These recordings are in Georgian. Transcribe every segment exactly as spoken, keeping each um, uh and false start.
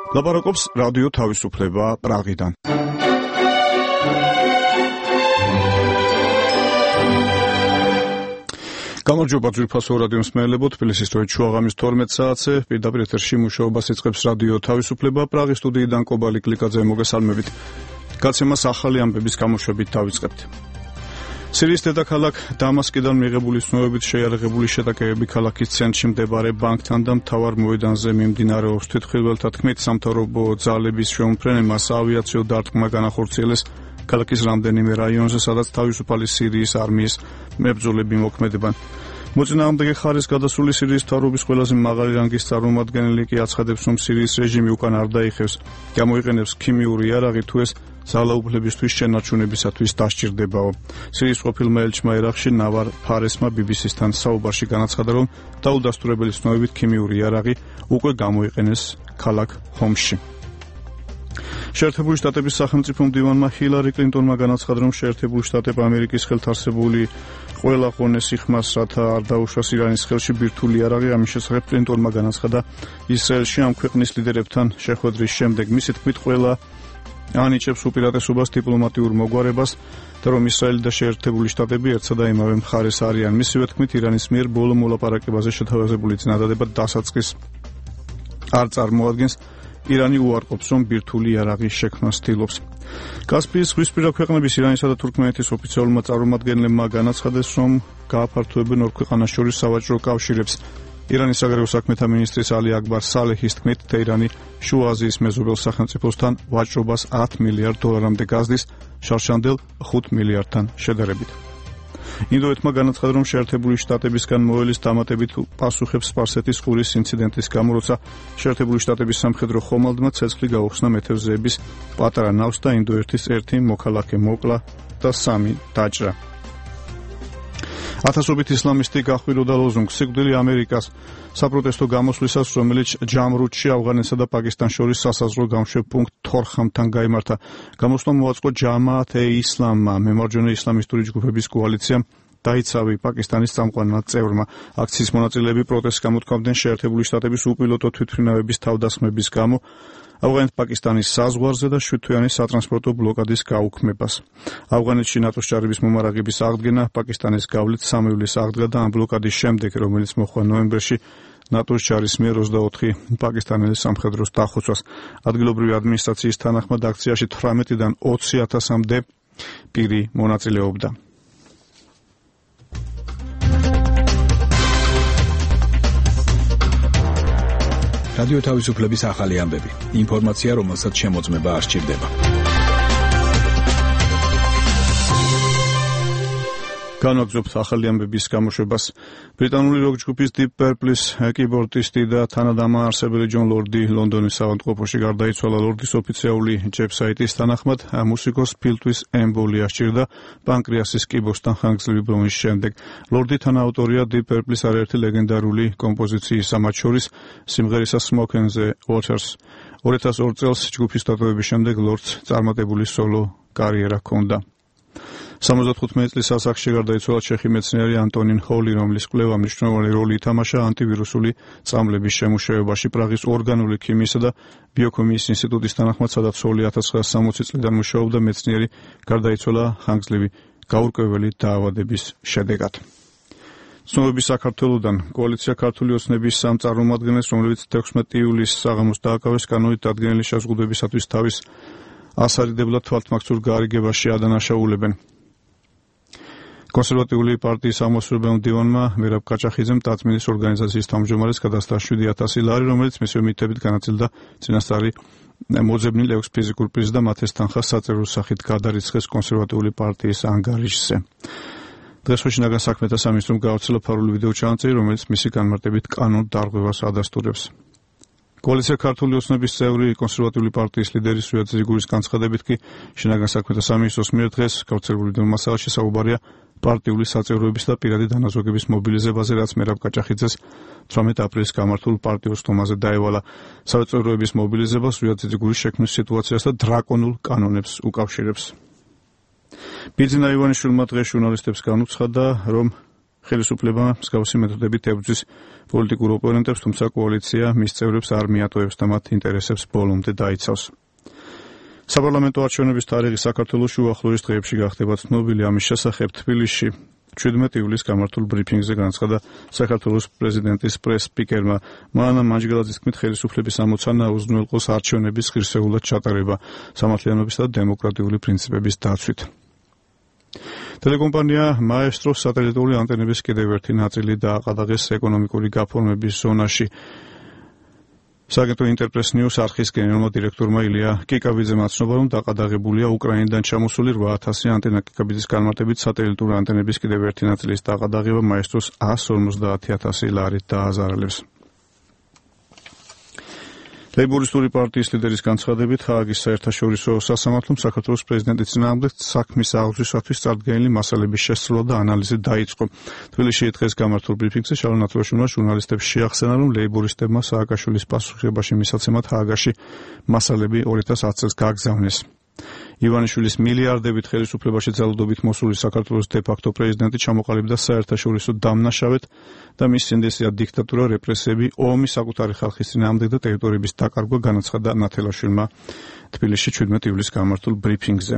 ლაპარაკობს რადიო თავისუფლება პრაღიდან. გამარჯობა ძვირფასო რადიო მსმენელებო, თბილისის დროით შუაღამის თორმეტ საათზე პირდაპირ ეთერში მუშაობას იწყებს რადიო თავისუფლება პრაღის სტუდიიდან კობალი კლიკაძე მოგესალმებით. გაცემას ახალი ამბების გამოშვებით დავიწყებთ. სირიის დედაქალაქ დამასკიდან მიღებული ცნობებით შეიარაღებული შეტაკებები ქალაქის ცენტრში მდებარე ბანკთან და მთავარ მოედანზე მიმდინარეობს. თვითმხილველთა თქმით, სამთავრობო ძალების შეუმფრენებას ავიაციო დარტყმა განახორციელეს ქალაქის რამდენიმე რაიონზე, სადაც თავისუფალი სირიის არმიის მებრძოლები მოქმედებენ. მოწინააღმდეგე ხარის გადასული სირიის მთავრობის ყველაზე მაღალი რანგის წარმომადგენელი კი აცხადებს, რომ სირიის რეჟიმი უკან არ დაიხევს, გამოიყენებს ქიმიური იარაღი თუ ეს ძალაუფლებისთვის შენარჩუნებისათვის დასჭირდებაო. სირიის ყოფილმა ელჩმა ერაყში ნავარ ფარესმა ბი ბი სისთან საუბარში განაცხადა, რომ დაუდასტურებელი ცნობებით ქიმიური იარაღი უკვე გამოიყენეს ქალაქ ჰომსში. შეერთებული შტატების სახელმწიფო მდივანმა ჰილარი კლინტონმა განაცხადა, რომ შეერთებული შტატები ამერიკის ხელთარსებული ყველა ყონეს იხმას, რათა არ დაუშვას ირანის ხელში ბირთვული იარაღი. ამის შესახებ კლინტონმა განაცხადა ისრაელში ამ ქვეყნის ლიდერებთან შეხვედრის შემდეგ. მისი თქმით, ყველა ანიჭებს უპირატესობას დიპლომატიურ მოგვარებას და რომ ისრაელი და შეერთებული შტატები ერთსა და იმავე მხარეს არიან. მისივე თქმით, ირანის მიერ ბოლო მოლაპარაკებაზე შეთავაზებული წინადადება დასაწყის არ წარმოადგენს. ირანი უარყოფს, რომ ბირთვული იარაღის შექმნას ცდილობს. კასპიის ზღვისპირა ქვეყნების ირანისა და თურქმენეთის ოფიციალურმა წარმომადგენლებმა განაცხადეს, რომ გააფართოებენ ორ ქვეყანას შორის სავაჭრო კავშირებს. ირანის საგარეო საქმეთა მინისტრის ალი აკბარ სალეჰის თქმით, თეირანი შუა აზიის მეზობელ სახელმწიფოსთან ვაჭრობას ათ მილიარდ დოლარამდე გაზდის, შარშანდელ ხუთ მილიარდთან შედარებით. ინდოეთმა განაცხადა, რომ შეერთებული შტატებისგან მოელის დამატებით პასუხებს სპარსეთის ყურის ინციდენტის გამო, როცა შეერთებული შტატების სამხედრო ხომალდმა ცეცხლი გაუხსნა მეთევზეების პატარა ნავს და ინდოეთის ერთი მოქალაქე მოკლა და სამი დაჭრა. ათასობით ისლამისტი გახვიროდა ლოზუნგს სიკვდილი ამერიკას საპროტესტო გამოსვლისას, რომელიც ჯამრუდში ავღანეთსა და პაკისტანს შორის სასაზღვრო გამშვებ პუნქტ თორხამთან გაიმართა. გამოსვლა მოაწყო ჯამაათ-ე-ისლამმა, მემარჯვენე ისლამისტური ჯგუფების კოალიციამ დაიცავი პაკისტანის წამყვანმა წევრმა. აქციის მონაწილეები პროტესტს გამოთქვამდნენ შეერთებული შტატების უპილოტო თვითმფრინავების თავდასხმების გამო, ავღანეთ-პაკისტანის საზღვარზე და შვიდთვიანი სატრანსპორტო ბლოკადის გაუქმებას. ავღანეთში ნატოს ჯარების მომარაგების აღდგენა, პაკისტანის გავლით სამი ივლისს აღდგა და ამ ბლოკადის შემდეგ, რომელიც მოხდა ნოემბერში, ნატოს ჯარის მიერ ოცდაოთხი პაკისტანელი სამხედროს დახოცვას. ადგილობრივი ადმინისტრაციის თანახმად აქციაში თვრამეტიდან ოცი ათასამდე პირი მონაწილეობდა. რადიო თავისუფლების ახალი ამბები. ინფორმაცია, რომელსაც შემოწმება არ სჭირდება. განვაგრძობთ ახალი ამბების გამოშვებას. ბრიტანული როკ ჯგუფის Deep Purple-ის კიბორდისტი და თანადამაარსებელი ჯონ ლორდი ლონდონის ავადმყოფოში გარდაიცვალა. ლორდის ოფიციალური ვებსაიტის თანახმად, მუსიკოს ფილტვის ემბოლია სჭირდა პანკრეასის კიბოსთან ხანგრძლივი ბრონის შემდეგ. ლორდი თანაავტორია Deep Purple-ის არაერთი ლეგენდარული კომპოზიციის, მათ შორის სიმღერისა Smoke and the Waters. ორი ათას ორი წელს ჯგუფის დატოვების შემდეგ ლორდს წარმატებული სოლო კარიერა ჰქონდა. სამოცდათხუთმეტი წლის ასაკში გარდაიცვალა ჩეხი მეცნიერი ანტონინ ჰოლი, რომლის კვლევა მნიშვნელოვანი როლი ითამაშა ანტივირუსული წამლების შემუშავებაში. პრაღის ორგანული ქიმიისა და ბიოქიმიის ინსტიტუტის თანახმად, სადაც ჰოლი ათას ცხრაასა სამოცი წლიდან მუშაობდა, მეცნიერი გარდაიცვალა ხანგრძლივი გაურკვეველი დაავადების შედეგად. ცნობები საქართველოდან. კოალიცია ქართული ოცნების სამ წარმომადგენელს, რომლებიც თექვსმეტი ივლისს საღამოს დააკავეს, კანონით დადგენილი შეზღუდვებისათვის თავის ასარიდებლად თვალთმაქცურ გარიგებაში ადანაშაულებენ. კონსერვატიული პარტიის ამოსრულებელ მდივანმა მერაბ კაჭახიძემ ტაწმინდის ორგანიზაციის თავმჯდომარეს გადასცა შვიდი ათასი ლარი, რომელიც მისივე მითებით განაწილდა წინასწარი მოძებნილ ექვს ფიზიკურ პირს და მათ ეს თანხა საწერო სახით გადარიცხეს კონსერვატიული პარტიის ანგარიშზე. დღეს შინაგან საქმეთა სამინისტრომ გაავრცელა ფარული ვიდეო ჩანაწერი, რომელიც მისი განმარტებით კანონ დარღვევას ადასტურებს. კოალიცია ქართული ოცნების წევრი კონსერვატიული პარტიის ლიდერი სვიად ზიგურის განცხადებით კი შინაგან საქმეთა სამინისტროს მიერ დღეს გავრცელებული მასალაში საუბარია პარტიული საწევროების და პირადი დანაზოგების მობილიზებაზე, რაც მერაბ კაჭახიძეს თვრამეტი აპრილის გამართულ პარტიულ სტომაზე დაევალა. საწევროების მობილიზებას სვიად ზიგურის შექმნის სიტუაციას და დრაკონულ კანონებს უკავშირებს. ბიძინა ივანიშვილმა დღეს ჟურნალისტებს განუცხადა, რომ ხელისუფლება მსგავსი მეთოდებით ებრძვის პოლიტიკურ ოპონენტებს, თუმცა კოალიცია მის წევრებს არ მიატოვებს და მათ ინტერესებს ბოლომდე დაიცავს. საპარლამენტო არჩევნების თარიღი საქართველოში უახლოეს დღეებში გახდება ცნობილი. ამის შესახებ თბილისში შვიდმეტი ივლისს გამართულ ბრიფინგზე განაცხადა საქართველოს პრეზიდენტის პრეს-სპიკერმა მანანა მანჯგელაძის თქმით, ხელისუფლების ამოცანა უზრუნველყოს არჩევნების ღირსეულად ჩატარება სამართლიანობისა და დემოკრატიული პრინციპების დაცვით. ტელეკომპანია მაესტროს სატელიტური ანტენების კიდევ ერთი ნაწილი დააყადაღეს ეკონომიკური გაფორმების ზონაში. სააგენტო ინტერპრეს ნიუს არხის გენერალურმა დირექტორმა ილია კიკაბიძემ აცნობა, რომ დაყადაღებულია უკრაინიდან ჩამოსული რვა ათასი ანტენა. კიკაბიძის განმარტებით, სატელიტური ანტენების კიდევ ერთი ნაწილის დაყადაღება მაესტროს ას ორმოცდაათი ათასი ლარით დააზარალებს. ლეიბორისტული პარტიის ლიდერის განცხადებით, ჰააგის საერთაშორისო სასამართლომ საქართველოს პრეზიდენტის წინააღმდეგ საქმის აღძვისათვის წარდგენილი მასალების შესწავლა და ანალიზი დაიწყო. თბილისში დღეს გამართულ ბრიფინგზე შალო ნათლაშვილმა ჟურნალისტებს შეახსენა, რომ ლეიბორისტებმა სააკაშვილის პასუხისმგებლობაში მისაცემად ჰააგაში მასალები ორი ათას ათი წელს გააგზავნეს. ივანიშვილის მილიარდებით ხელისუფლებაში ძალადობით მოსული საქართველოს დე-ფაქტო პრეზიდენტი ჩამოყალიბდა საერთაშორისო დამნაშავედ და მის სინდისია დიქტატურა, რეპრესიები, ომი საკუთარი ხალხის წინააღმდეგ და ტერიტორიების დაკარგვა, განაცხადა ნათელაშვილმა თბილისში შვიდმეტი ივლისს გამართულ ბრიფინგზე.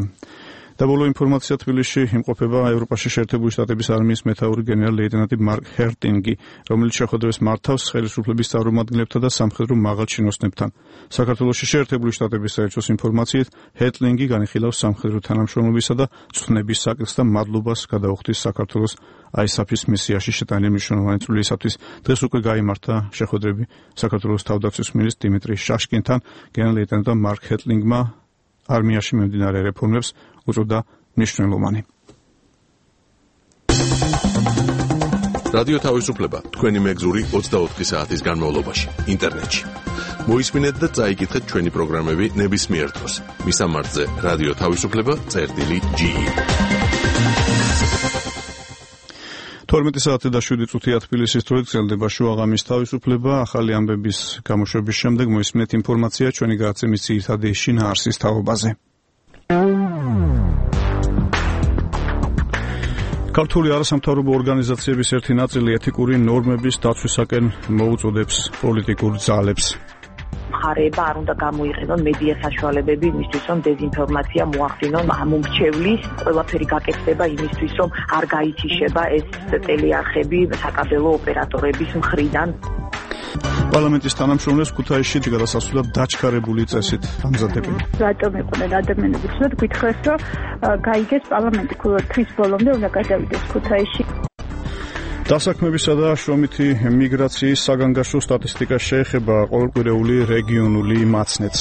და ბოლო ინფორმაცია, თბილისში იმყოფება ევროპაში შეერთებული შტატების არმიის მეთაური გენერალ-ლეიტენანტი მარკ ჰერტინგი, რომელიც შეხვედრებს მართავს ხელისუფლების წარმომადგენლებთან და სამხედრო მაღალჩინოსნებთან. საქართველოში შეერთებული შტატების საელჩოს ინფორმაციით, ჰერტინგი განიხილავს სამხედრო თანამშრომლობისა და წვნების საკითხს და მადლობას გადაუხდის საქართველოს აისაფის მისიაში შეტანილი მნიშვნელოვანი წვლილისათვის. დღეს უკვე გაიმართა შეხვედრები საქართველოს თავდაცვის მინისტრ დიმიტრი შაშკინთან. გენერალ-ლეიტენანტმა მარკ ჰერტინგმა არმიაში მიმდინარე რეფორმებს უწოდა მნიშვნელოვანი. რადიო თავისუფლება თქვენი მეგზური ოცდაოთხი საათის განმავლობაში ინტერნეტში. მოისმინეთ და წაიკითხეთ ჩვენი პროგრამები ნებისმიერ დროს. მისამართზე რადიო თავისუფლება წერტილი ჯი. თორმეტი საათი და შვიდი წუთია თბილისის დროით გრძელდება შუაღამის თავისუფლება. ახალი ამბების გამოშვების შემდეგ მოისმინეთ ინფორმაცია ჩვენი გადაცემის ძირითადი შინაარსის თაობაზე. ქართული არასამთავრობო ორგანიზაციების ერთი ნაწილი ეთიკური ნორმების დაცვისაკენ მოუწოდებს პოლიტიკურ ძალებს. მხარეება არ უნდა გამოიყენონ მედია საშუალებები იმისთვის, რომ დეзинფორმაცია მოახდინონ ამომრჩევლის, ყველაფერი გაკეთდება იმისთვის, რომ არ გაითიშება ეს ტელეარხები საკაბელო ოპერატორების მხრიდან. პარლამენტის თანამშრომლებს ქუთაისში გადასასვლელად დაჩქარებული წესით ამზადებენ. რატომ იყვნენ ადამიანები ცუდად გითხრეს, რომ გაიგეს პარლამენტი თვის ბოლომდე უნდა გადავიდეს ქუთაისში. დასაქმებისა და შრომითი მიგრაციის საგანგაშო სტატისტიკა შეეხება ყოველკვირეული რეგიონული მაცნეთს.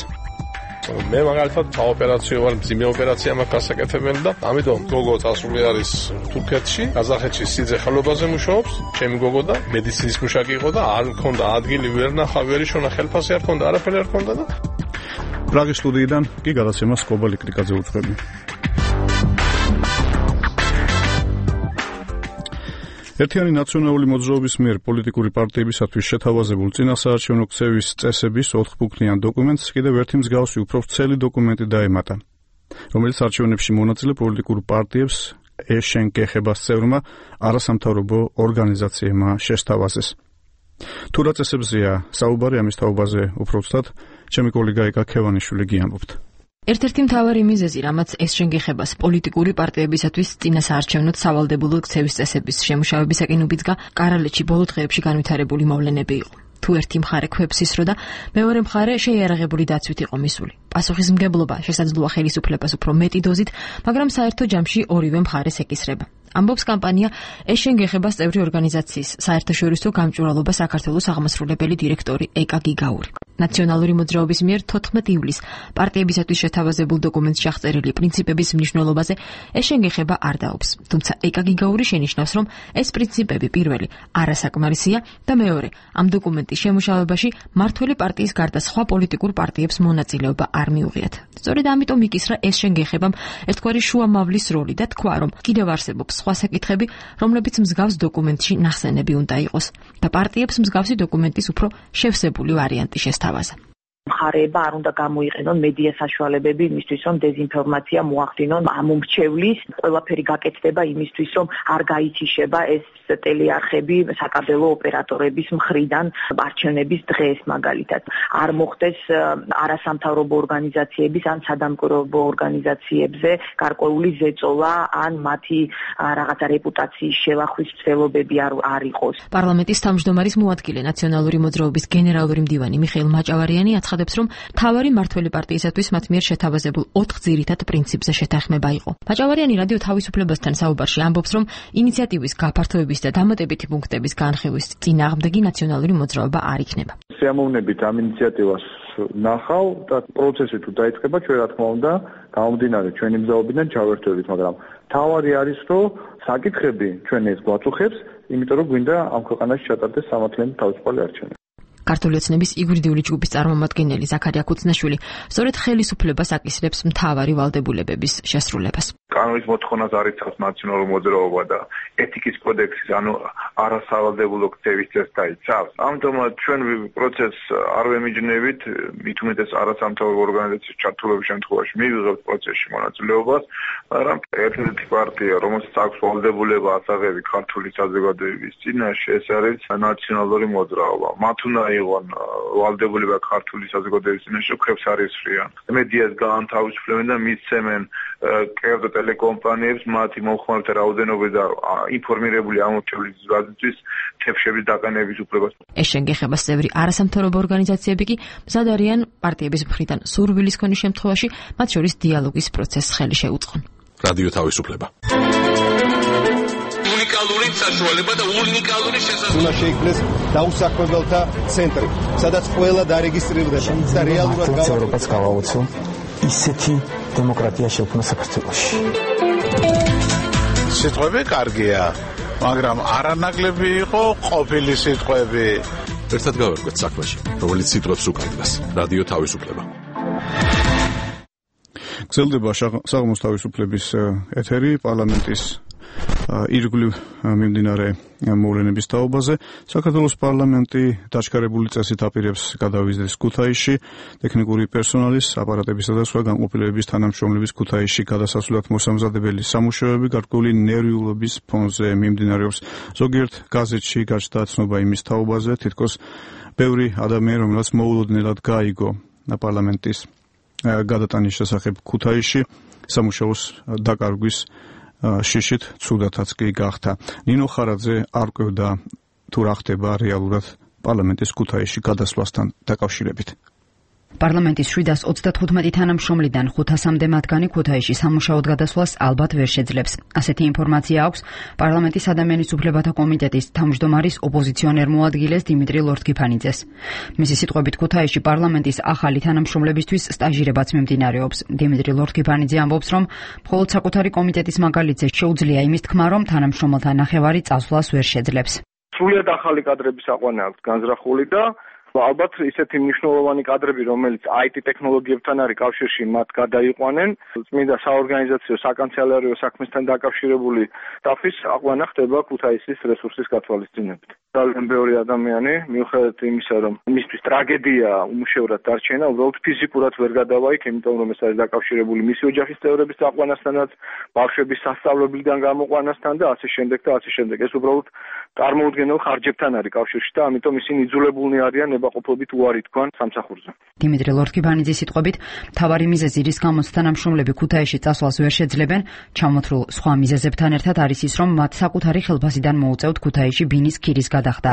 მე მაგალითად საოპერაციო ვარ, მძიმე ოპერაცია მაქვს გასაკეთებელი და ამიტომ გოგო წასული არის თურქეთში, ყაზახეთში სიძე ხალობაზე მუშაობს, ჩემი გოგო და მედიცინის მუშაკი იყო და არ მქონდა ადგილი, ვერ ნახა, ვერ იშონა, ხელფასი არ მქონდა, არაფერი არ მქონდა და პრაღის სტუდიიდან კი გადაცემას კობა ლიკრიკაძე უძღვები. ერთიანი ნაციონალური მოძრაობის მიერ პოლიტიკური პარტიებისათვის შეთავაზებულ წინასაარჩევნო ქცევის წესების ოთხბუქნიან დოკუმენტს კიდევ ერთი მსგავსი უფრო ვრცელი დოკუმენტი დაემატა, რომელიც არჩევნებში მონაწილე პოლიტიკურ პარტიებს ეშენგეხებას წევრმა არასამთავრობო ორგანიზაციებმა შესთავაზეს. თუ რა წესებზეა საუბარი, ამის თაობაზე უფრო ვცდად, ჩემი კოლეგა ეკა ქევანიშვილი გიამბობთ. ერთ-ერთი მთავარი მიზეზი, რამაც ეშენგეხებას პოლიტიკური პარტიებისათვის წინასაარჩევნოდ სავალდებულო ქცევის წესების შემუშავებისაკენ უბიძგა, კარალეთში ბოლო დღეებში განვითარებული მოვლენები იყო. თუ ერთი მხარე ქვებს ისრო და მეორე მხარე შეიარაღებული დაცვით იყო მისული. პასუხისმგებლობა შესაძლოა ხელისუფლებას უფრო მეტი დოზით, მაგრამ საერთო ჯამში ორივე მხარეს ეკისრება. ამბობს კამპანია ეშენგეხებას წევრი ორგანიზაციის საერთაშორისო გამჭვირვალობა საქართველოს აღმასრულებელი დირექტორი ეკა გიგაური. ნაციონალური მოძრაობის მიერ თოთხმეტი ივლისს პარტიებისათვის შეთავაზებულ დოკუმენტში აღწერილი პრინციპების მნიშვნელობაზე ეშენგეხება არ დაობს. თუმცა ეკა გიგაური შენიშნავს, რომ ეს პრინციპები პირველი არასაკმარისია და მეორე, ამ დოკუმენტის შემუშავებაში მართველი პარტიის გარდა სხვა პოლიტიკურ პარტიებს მონაწილეობა არ მიუღიათ. სწორედ ამიტომ იკისრა ეშენგეხებამ ერთგვარი შუამავლის როლი და თქვა, რომ კიდევ არსებობს სხვა საკითხები, რომლებიც მსგავს დოკუმენტში ნახსენები უნდა იყოს და პარტიებს მსგავსი დოკუმენტის უფრო შევსებული ვარიანტი შესთავაზა. მხარეება არ უნდა გამოიყენონ მედია საშუალებები იმისთვის, რომ დეзинფორმაცია მოახდინონ ამომრჩევლის, ყველაფერი გაკეთდება იმისთვის, რომ არ გაითიშება ეს ტელეარხები საკაბელო ოპერატორების მხრიდან არჩევნების დღეს მაგალითად არ მოხდეს არასამთავრობო ორგანიზაციების ან სადამკვირვებლო ორგანიზაციებზე გარკვეული ზეწოლა ან მათი რაღაცა რეპუტაციის შევახვის ცდილობები არ არ იყოს. პარლამენტის თავმჯდომარის მოადგილე ნაციონალური მოძრაობის გენერალური მდივანი მიხეილ მაჭავარიანი აცხადებს, რომ მთავარი მმართველი პარტიისათვის მათ მიერ შეთავაზებულ ოთხ ძირითად პრინციპზე შეთანხმება იყო. მაჭავარიანი რადიო თავისუფლებასთან საუბარში ამბობს, რომ ინიციატივის გაფართოების და დამატებითი პუნქტების განხილვის წინააღმდეგი ნაციონალური მოძრაობა არ იქნება. სიამოვნებით ამ ინიციატივას ნახავ და პროცესი თუ დაიწყება, ჩვენ რა თქმა უნდა გამომდინარე ჩვენი მზაობიდან ჩავერთვებით, მაგრამ თავარი არის, რომ საკითხები ჩვენ ეს გვაწუხებს, იმიტომ რომ გვინდა ამ ქვეყანაში ჩატარდეს სამართლიანი თავისუფალი არჩევნები. ქართული ოცნების იგვრიდიული ჯგუფის წარმომადგენელი ზაქარია ქუცნაშვილი სწორედ ხელისუფლებას აკისრებს მთავარი ვალდებულებების შესრულებას. კანონის მოთხოვნას არ იცავს ნაციონალური მოძრაობა და ეთიკის კოდექსის, ანუ არასავალდებულო ქცევის წესს დაიცავს. ამიტომაც ჩვენ პროცესს არ ვემიჯნებით, მით უმეტეს არასამთავრობო ორგანიზაციის ჩართულობის შემთხვევაში მივიღებთ პროცესში მონაწილეობას, მაგრამ ერთ-ერთი პარტია, რომელსაც აქვს ვალდებულება ასაღები ქართული საზოგადოების წინაშე, ეს არის ნაციონალური მოძრაობა. მათ უნდა იყვნენ ვალდებულება ქართული საზოგადოების წინაშე, ქვებს არ ისვრიან. მედიას გაანთავისუფლებენ და მისცემენ კერძო ტელეკომპანიებს მათი მომხმარებელთა რაოდენობის და ინფორმირებული ამორჩევლის ზრდისთვის თებშების დაყენების უფლებას. ეს შენგეხებას წევრი არასამთავრობო ორგანიზაციები კი მზად არიან პარტიების მხრიდან სურვილის ქონის შემთხვევაში მათ შორის დიალოგის პროცესს ხელი შეუწყონ. რადიო თავისუფლება. უნიკალური საშუალება და უნიკალური შესაძლებლობა. უნდა შეიქმნეს დაუსაქმებელთა ცენტრი, სადაც ყველა დარეგისტრირდება და რეალურად ევროპას გავაოცო ისეთი დემოკრატია შექმნა საქართველოში. სიტყვები კარგია, მაგრამ არანაკლები იყო ყოფილი სიტყვები. ერთად გავერკვეთ საქმეში, რომელიც სიტყვებს უკარგავს. რადიო თავისუფლება. გრძელდება საღამოს თავისუფლების ეთერი პარლამენტის ირგვლივ მიმდინარე მოვლენების თაობაზე. საქართველოს პარლამენტი დაჩქარებული წესით აპირებს გადავიზდეს ქუთაისში ტექნიკური პერსონალის, აპარატებისა და სხვა განყოფილებების თანამშრომლების ქუთაისში გადასასვლელად მოსამზადებელი სამუშაოები გარკვეული ნერვიულობის ფონზე მიმდინარეობს. ზოგიერთ გაზეთში გაჩნდა ცნობა იმის თაობაზე, თითქოს ბევრი ადამიანი, რომელსაც მოულოდნელად გაიგო პარლამენტის გადატანის შესახებ ქუთაისში, სამუშაოს დაკარგვის შიშით ცუდათაც კი გახდა. ნინო ხარაძე არ კვევდა თუ რა ხდება რეალურად პარლამენტის ქუთაისში გადასვლასთან დაკავშირებით. პარლამენტის შვიდას ოცდათხუთმეტი თანამშრომლიდან ხუთასამდე მათგანი ქუთაისში სამუშაოდ გადასვლას ალბათ ვერ შეძლებს. ასეთი ინფორმაცია აქვს პარლამენტის ადამიანის უფლებათა კომიტეტის თავმჯდომარის ოპოზიციონერ მოადგილეს დიმიტრი ლორთქიფანიძეს. მისი სიტყვებით ქუთაისში პარლამენტის ახალი თანამშრომლებისთვის სტაჟირებაც მიმდინარეობს. დიმიტრი ლორთქიფანიძე ამბობს, რომ მხოლოდ საკუთარი კომიტეტის მაგალითზე შეუძლია იმის თქმა, რომ თანამშრომელთა ნახევარი წასვლას ვერ შეძლებს. სრულიად ახალი კადრების აყვანა აქვს განზრახული და ალბათ ისეთი მნიშვნელოვანი კადრები, რომელიც აი ტი ტექნოლოგიებთან არის კავშირში, მათ გადაიყვანენ. წმინდა საორგანიზაციო საკანცელერიო საქმესთან დაკავშირებული სტაფის აყვანა ხდება ქუთაისის რესურსის გათვალისწინებით. ძალიან ბევრი ადამიანი, მიუხედავად იმისა, რომ მისთვის ტრაგედია უმუშევრად დარჩენა, უბრალოდ ფიზიკურად ვერ გადავა იქ, იმიტომ რომ ეს არის დაკავშირებული მისი ოჯახის წევრების აყვანასთანაც, ბავშვების სასწავლებლიდან გამოყვანასთან და ასე შემდეგ და ასე შემდეგ. ეს უბრალოდ წარმოუდგენელ ხარჯებთან არის კავშირში და ამიტომ ისინი იძულებულნი არიან ნებაყოფლობით უარი თქვან სამსახურზე. დიმიტრი ლორთქიფანიძის სიტყვებით, მთავარი მიზეზი, რის გამოც თანამშრომლები ქუთაისში წასვლას ვერ შეძლებენ, ჩამოთვლილ სხვა მიზეზებთან ერთად არის ის, რომ მათ საკუთარი ხელფასიდან მოუწევთ ქუთაისში ბინის ქირის გადახდა,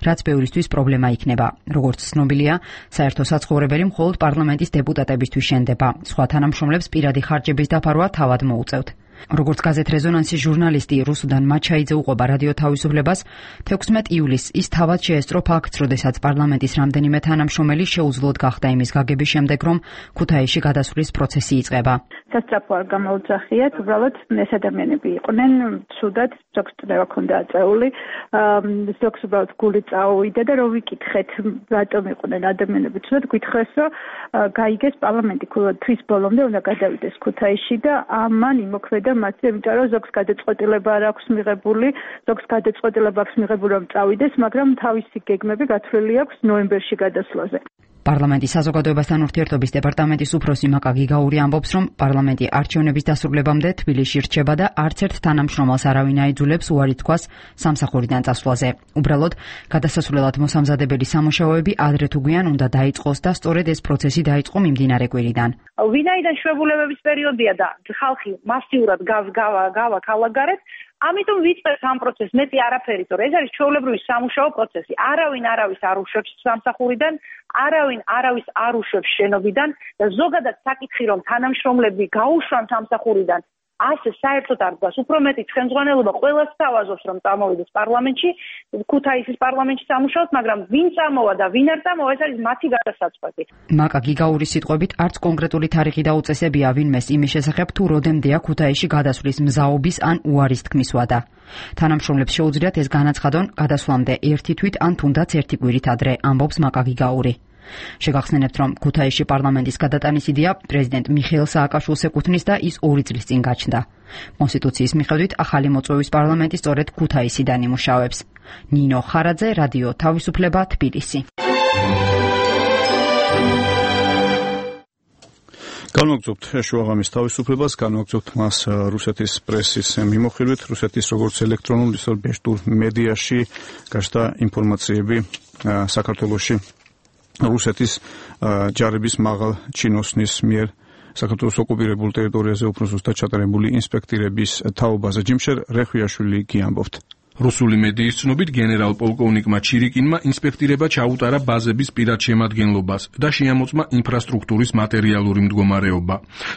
რაც ბევრისთვის პრობლემა იქნება. როგორც ცნობილია, საერთო საცხოვრებელი მხოლოდ პარლამენტის დეპუტატებისთვის შენდება. სხვა თანამშრომლებს პირადი ხარჯების დაფარვა თავად მოუწევთ. როგორც გაზეთ რეზონანსის ჟურნალისტი რუსუდან მაჩაიძე უყვება რადიო თავისუფლებას, თექვსმეტ ივლისს ის თავად შეესწრო ფაქტს, როდესაც პარლამენტის რამდენიმე თანამშრომელი შეუძლოდ გახდა იმის გაგების შემდეგ, რომ ქუთაისში გადასვლის პროცესი იწყება. სასწრაფო არ გამოუძახიათ, უბრალოდ ეს ადამიანები იყვნენ, ცუდად, ზოგს წნევა ჰქონდა აწეული, ზოგს უბრალოდ გული წაუვიდა და რომ ვიკითხეთ, რატომ იყვნენ ადამიანები ცუდად, გითხრეს, რომ გაიგეს პარლამენტი თვის ბოლომდე უნდა გადავიდეს ქუთაისში და ამან იმოქმედა მათი, იმიტომ რომ ზოგს გადაწყვეტილება არ აქვს მიღებული, ზოგს გადაწყვეტილება აქვს მიღებული რომ წავიდეს, მაგრამ თავისი გეგმები გათვლილი აქვს ნოემბერში გადასვლაზე. პარლამენტის საზოგადოებასთან ურთიერთობის დეპარტამენტის უფროსი მაკა გიგაური ამბობს, რომ პარლამენტი არჩევნების დასრულებამდე თბილისში რჩება და არც ერთ თანამშრომელს არავინ აიძულებს უარი თქვას სამსახურიდან წასვლაზე. უბრალოდ, გადასასვლელად მოსამზადებელი სამუშაოები ადრე თუ გვიან უნდა დაიწყოს და სწორედ ეს პროცესი დაიწყო მიმდინარე კვირიდან. ვინაიდან შვებულებების პერიოდია და ხალხი მასიურად გავა ქალაქგარეთ, ამიტომ ვიწყებთ ამ პროცესს, მეტი არაფერი, თორე ეს არის ჩვეულებრივი სამუშაო პროცესი. არავინ არავის არ უშვებს სამსახურიდან, არავინ არავის არ უშვებს შენობიდან და ზოგადად საკითხი, რომ თანამშრომლები გაუშვან სამსახურიდან, ასე საერთოდ არ დგას. უფრო მეტი ცხენძღვანელობა ყველას თავაზობს, რომ წამოვიდეს პარლამენტში, ქუთაისის პარლამენტში სამუშაოთ, მაგრამ ვინ წამოვა და ვინ არ წამოვა, ეს არის მათი გადასაწყვეტი. მაკა გიგაურის სიტყვებით, არც კონკრეტული თარიღი და უწესებია ვინმეს იმის შესახებ, თუ როდემდეა ქუთაისში გადასვლის მზაობის ან უარის თქმის ვადა. თანამშრომლებს შეუძლიათ ეს განაცხადონ გადასვლამდე ერთი თვით ან თუნდაც ერთი კვირით ადრე, ამბობს მაკა გიგაური. შეგახსენებთ, რომ ქუთაისში პარლამენტის გადატანის იდეა პრეზიდენტ მიხეილ სააკაშვილს ეკუთვნის და ის ორი წლის წინ გაჩნდა. კონსტიტუციის მიხედვით ახალი მოწვევის პარლამენტი სწორედ ქუთაისიდან იმუშავებს. ნინო ხარაძე, რადიო თავისუფლება, თბილისი. განვაგრძობთ შუაღამის თავისუფლებას, განვაგრძობთ მას რუსეთის პრესის მიმოხილვით, რუსეთის როგორც ელექტრონულ, ისე ბეშტურ მედიაში გაჩნდა ინფორმაციები საქართველოში რუსეთის ჯარების მაღალ ჩინოსნის მიერ საქართველოს ოკუპირებულ ტერიტორიაზე უფრო ზუსტად ჩატარებული ინსპექტირების თაობაზე. ჯიმშერ რეხვიაშვილი კი ამბობთ. რუსული მედიის ცნობით გენერალ-პოლკოვნიკმა ჩირიკინმა ინსპექტირება ჩაუტარა ბაზების პირად შემადგენლობას და შეამოწმა ინფრასტრუქტურის მატერიალური მდგომარეობა.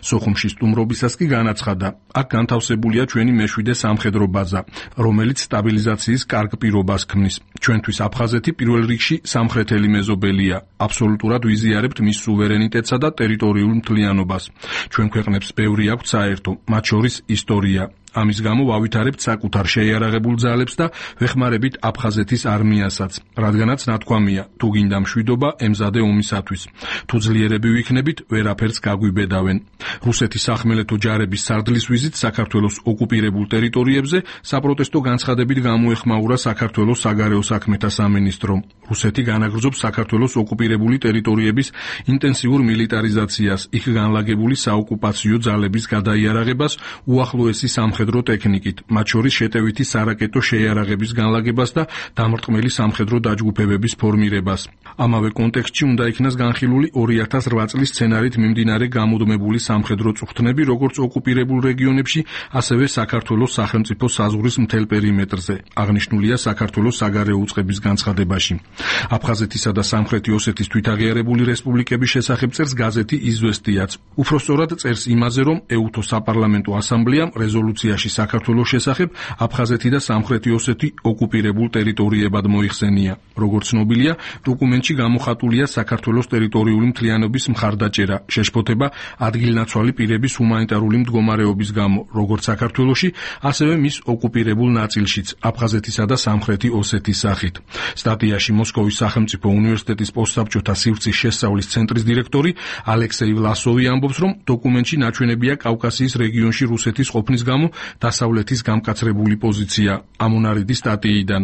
სოხუმში სტუმრობისას კი განაცხადა, აქ განთავსებულია ჩვენი მეშვიდე სამხედრო ბაზა, რომელიც სტაბილიზაციის კარგ პირობას ქმნის. ჩვენთვის აფხაზეთი პირველ რიგში სამხრეთელი მეზობელია. აბსოლუტურად ვიზიარებთ მის სუვერენიტეტსა და ტერიტორიულ მთლიანობას. ჩვენ ქვეყნებს ბევრი აქვთ საერთო, მათ შორის ისტორია. ამის გამო ვავითარებთ საკუთარ შეიარაღებულ ძალებს და ვეხმარებით აფხაზეთის არმიასაც, რადგანაც ნათქვამია, თუ გინდა მშვიდობა, ემზადე ომისათვის. თუ ძლიერები ვიქნებით, ვერაფერს გაგვიბედავენ. რუსეთის სახმელეთო ჯარების სარდლის ვიზით საქართველოს ოკუპირებულ ტერიტორიებზე საპროტესტო განცხადებით გამოეხმაურა საქართველოს საგარეო საქმეთა სამინისტრომ. რუსეთი განაგრძობს საქართველოს ოკუპირებული ტერიტორიების ინტენსიურ მილიტარიზაციას, იქ განლაგებული საოკუპაციო ძალების გადაიარაღებას, უახლოესი სამხედრო ტექნიკით, მათ შორის შეტევითი სარაკეტო შეიარაღების განლაგებას და დამრტყმელი სამხედრო დაჯგუფებების ფორმირებას. ამავე კონტექსტში უნდა იქნას განხილული ორი ათას რვა წლის სცენარით მიმდინარე გამუდმებული სამხედრო წუხტნები, როგორც ოკუპირებულ რეგიონებში, ასევე საქართველოს სახელმწიფო საზღვრის მთელ პერიმეტრზე. აღნიშნულია საქართველოს საგარეო უწყების განცხადებაში. აფხაზეთისა და სამხრეთი ოსეთის თვითაღიარებული რესპუბლიკების შესახებ წერს გაზეთი „იზვესტიაც“. უფრო სწორად წერს იმაზე, რომ ეუთო საპარლამენტო ასამბლეამ რეზოლუციაში საქართველოს შესახებ აფხაზეთი და სამხრეთი ოსეთი ოკუპირებულ ტერიტორიებად მოიხსენია. როგორც ცნობილია, დოკუმენტში გამოხატულია საქართველოს ტერიტორიული მთლიანობის მხარდაჭერა, შეშფოთება ადგილნაცვალი პირების ჰუმანიტარული მდგომარეობის გამო, როგორც საქართველოში, ასევე მის ოკუპირებულ ნაწილშიც, აფხაზეთისა და სამხრეთი ოსეთის სახით. სტატიაში მოსკოვის სახელმწიფო უნივერსიტეტის პოსტსაბჭოთა სივრცის შესწავლის ცენტრის დირექტორი ალექსეი ვლასოვი ამბობს, რომ დოკუმენტში ნაჩვენებია კავკასიის რეგიონში რუსეთის ყოფნის გამო დასავლეთის გამკაცრებული პოზიცია. ამონარიდი სტატიიდან.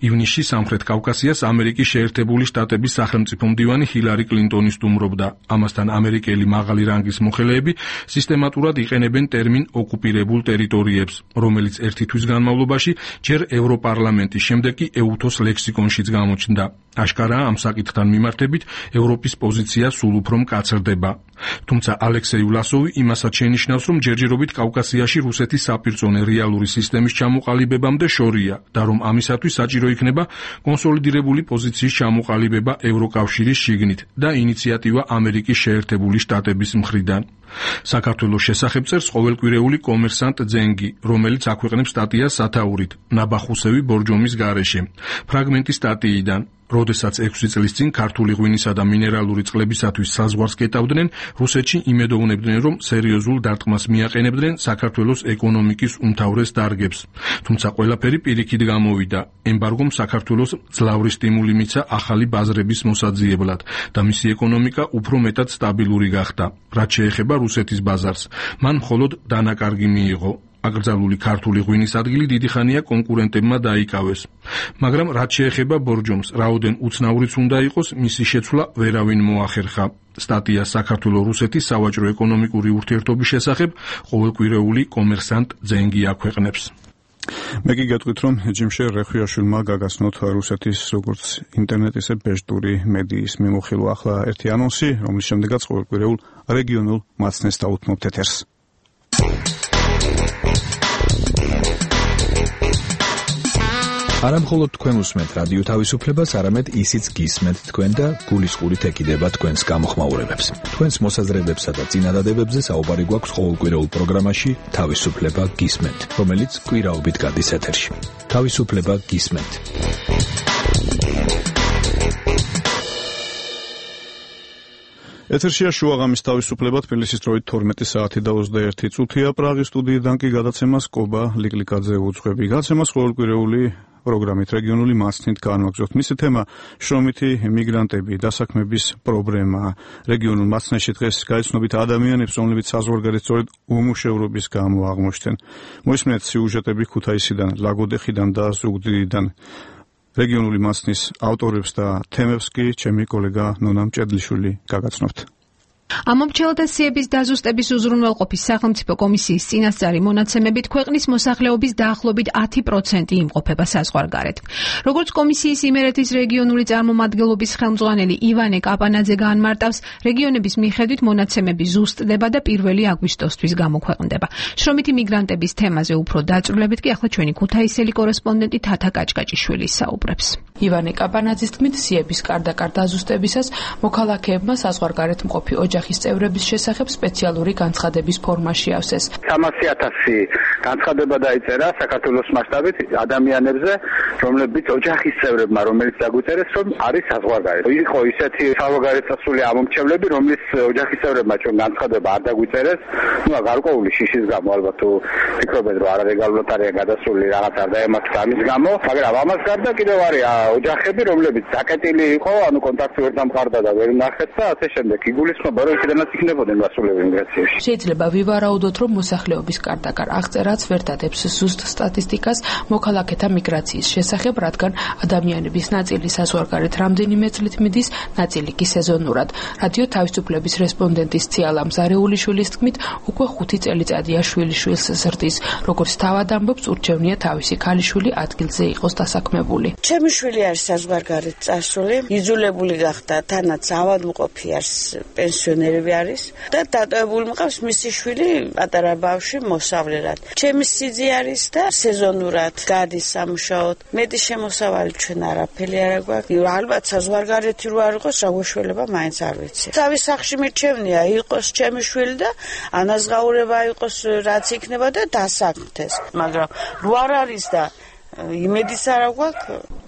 ივნისში სამხრეთ კავკასიას ამერიკის შეერთებული შტატების სახელმწიფო მდივანი ჰილარი კლინტონი სტუმრობდა. ამასთან ამერიკელი მაღალი რანგის მოხელეები სისტემატურად იყენებენ ტერმინ ოკუპირებულ ტერიტორიებს, რომელიც ერთი თვის განმავლობაში ჯერ ევროპარლამენტის, შემდეგ კი ეუთოს ლექსიკონშიც გამოჩნდა. აშკარაა, ამ საკითხთან მიმართებით ევროპის პოზიცია სულ უფრო მკაცრდება. თუმცა ალექსეი ვლასოვი იმასაც შენიშნავს, რომ ჯერჯერობით კავკასიაში რუსეთის საპირწონე რეალური სისტემის ჩამოყალიბებამდე შორია და რომ ამისათვის საჭირო იქნება კონსოლიდირებული პოზიციის ჩამოყალიბება ევროკავშირის შიგნით და ინიციატივა ამერიკის შეერთებული შტატების მხრიდან. საქართველოს შესახებ წერს ყოველკვირეული კომერსანტ ძენგი, რომელიც აქვეყნებს სტატიას სათაურით ნაბახუსევი ბორჯომის გარეშე. ფრაგმენტი სტატიიდან. როდესაც ექვსი წლის წინ ქართული ღვინისა და მინერალური წყლებისათვის საზღვარს კეტავდნენ, რუსეთში იმედოვნებდნენ, რომ სერიოზულ დარტყმას მიაყენებდნენ საქართველოს ეკონომიკის უმთავრეს დარგებს. თუმცა ყველაფერი პირიქით გამოვიდა. ემბარგომ საქართველოს ძლავრი სტიმული მიცა ახალი ბაზრების მოსაძიებლად და მისი ეკონომიკა უფრო მეტად სტაბილური გახდა. რაც შეეხება რუსეთის ბაზარს, მან მხოლოდ დანაკარგი მიიღო. აკრძალული ქართული ღვინის ადგილი დიდი ხანია კონკურენტებმა დაიკავეს. მაგრამ რაც შეეხება ბორჯომს, რაოდენ უცნაურიც უნდა იყოს, მისი შეცვლა ვერავინ მოახერხა. სტატია საქართველო-რუსეთის სავაჭრო-ეკონომიკური ურთიერთობის შესახებ ყოველკვირეული კომერსანტ ძენგი აქვეყნებს. მე კი გეტყვით, რომ ჯიმშე რეხვიაშვილმა გაგაცნოთ რუსეთის როგორც ინტერნეტ ისე ბეჟტური მედიის მიმოხილვა. ახლა ერთი ანონსი, რომლის შემდეგაც ყოველკვირეულ რეგიონულ მაცნეს დაუთმობთ ეთერს. არა მხოლოდ თქვენ უსმენთ რადიო თავისუფლებას, არამედ ისიც გისმენთ თქვენ და გულისყურით ეკიდება თქვენს გამოხმაურებებს. თქვენს მოსაზრებებსა და წინადადებებზე საუბარი გვაქვს ყოველკვირეულ პროგრამაში თავისუფლება გისმენთ, რომელიც კვირაობით გადის ეთერში. თავისუფლება გისმენთ. ეთერშია შუაღამის თავისუფლება, თბილისის დროით თორმეტი საათი და ოცდაერთი წუთია. პრაღის სტუდიიდან კი გადაცემას კობა ლიკლიკაძე უძღვები. გადაცემას ყოველკვირეული პროგრამით რეგიონული მასნით განვაგრძობთ. მისი თემა შრომითი მიგრანტები, დასაქმების პრობლემა. რეგიონულ მასნაში დღეს გაიცნობით ადამიანებს, რომლებიც საზღვარგარეთ სწორედ უმუშევრობის გამო აღმოჩნდნენ. მოისმენთ სიუჟეტები ქუთაისიდან, ლაგოდეხიდან და ზუგდიდიდან. რეგიონული მასნის ავტორებს და თემებს კი ჩემი კოლეგა ნონა მჭედლიშვილი გაგაცნობთ. ამომრჩევლთა დაზუსტების უზრუნველყოფის სახელმწიფო კომისიის წინასწარი მონაცემებით ქვეყნის მოსახლეობის დაახლოებით ათი პროცენტი იმყოფება საზღვარგარეთ. როგორც კომისიის იმერეთის რეგიონული წარმომადგენლობის ხელმძღვანელი ივანე კაპანაძე გაანმარტავს, რეგიონების მიხედვით მონაცემები ზუსტდება და პირველი აგვისტოსთვის გამოქვეყნდება. შრომითი მიგრანტების თემაზე უფრო დაწვრილებით კი ახლა ჩვენი ქუთაისელი კორესპონდენტი თათა კაჭკაჭიშვილი საუბრებს. ივანე კაპანაძის თქმით, სიების კარდაკარ დაზუსტებისას მოქალაქეებმა საზღვარგარეთ მყოფი ოჯახის წევრების შესახებ სპეციალური განცხადების ფორმაში ავსეს. სამასი ათასი განცხადება დაიწერა საქართველოს მასშტაბით ადამიანებზე, რომლებიც ოჯახის წევრებმა, რომელიც დაგვიწერეს, რომ არის საზღვარგარეთ. იყო ისეთი საზღვარგარეთ წასული ამომრჩევლები, რომლის ოჯახის წევრებმა ჩვენ განცხადება არ დაგვიწერეს, ну, გარკვეული შიშის გამო, ალბათ თუ ფიქრობენ, რომ არალეგალურად არიან გადასული რაღაც არ დაემართათ ამის გამო, მაგრამ ამას გარდა კიდევ არის ოჯახები, რომლებიც დაკეტილი იყო, ანუ კონტაქტი ვერ დამყარდა და ვერ ნახეთ და ასე შემდეგ. იგულისხმება, რომ იქიდანაც იქნებოდნენ მასულები იმიგრაციაში. შეიძლება ვივარაუდოთ, რომ მოსახლეობის კარდაკარ აღწერაც ვერ დადებს ზუსტ სტატისტიკას მოქალაქეთა მიგრაციის შესახებ, რადგან ადამიანების ნაწილი საზღვარგარეთ რამდენიმე წლით მიდის, ნაწილი კი სეზონურად. რადიო თავისუფლების რესპონდენტის ციალა მზარეულიშვილის თქმით, უკვე ხუთი წელიწადია შვილიშვილს ზრდის. როგორც თავად ამბობს, ურჩევნია თავისი ქალიშვილი ადგილზე იყოს დასაქმებული. ჩემი შვილი არის საზღვარგარეთ წასული, იძულებული გახდა, თანაც ავადმყოფი არის, პენსიონერები არის და დატოვებული მყავს მისი შვილი პატარა ბავშვი მოსავლელად. ჩემი სიძე არის და სეზონურად გადის სამუშაოდ. მეტი შემოსავალი ჩვენ არაფერი არ აქვს. ალბათ საზღვარგარეთი რო არ იყოს, რა გუშველება მაინც არ ვიცი. თავის სახში მირჩევნია იყოს ჩემი შვილი და ანაზღაურება იყოს რაც იქნება და დასაქმდეს. მაგრამ რო არ არის და იმედიც არ აქვს.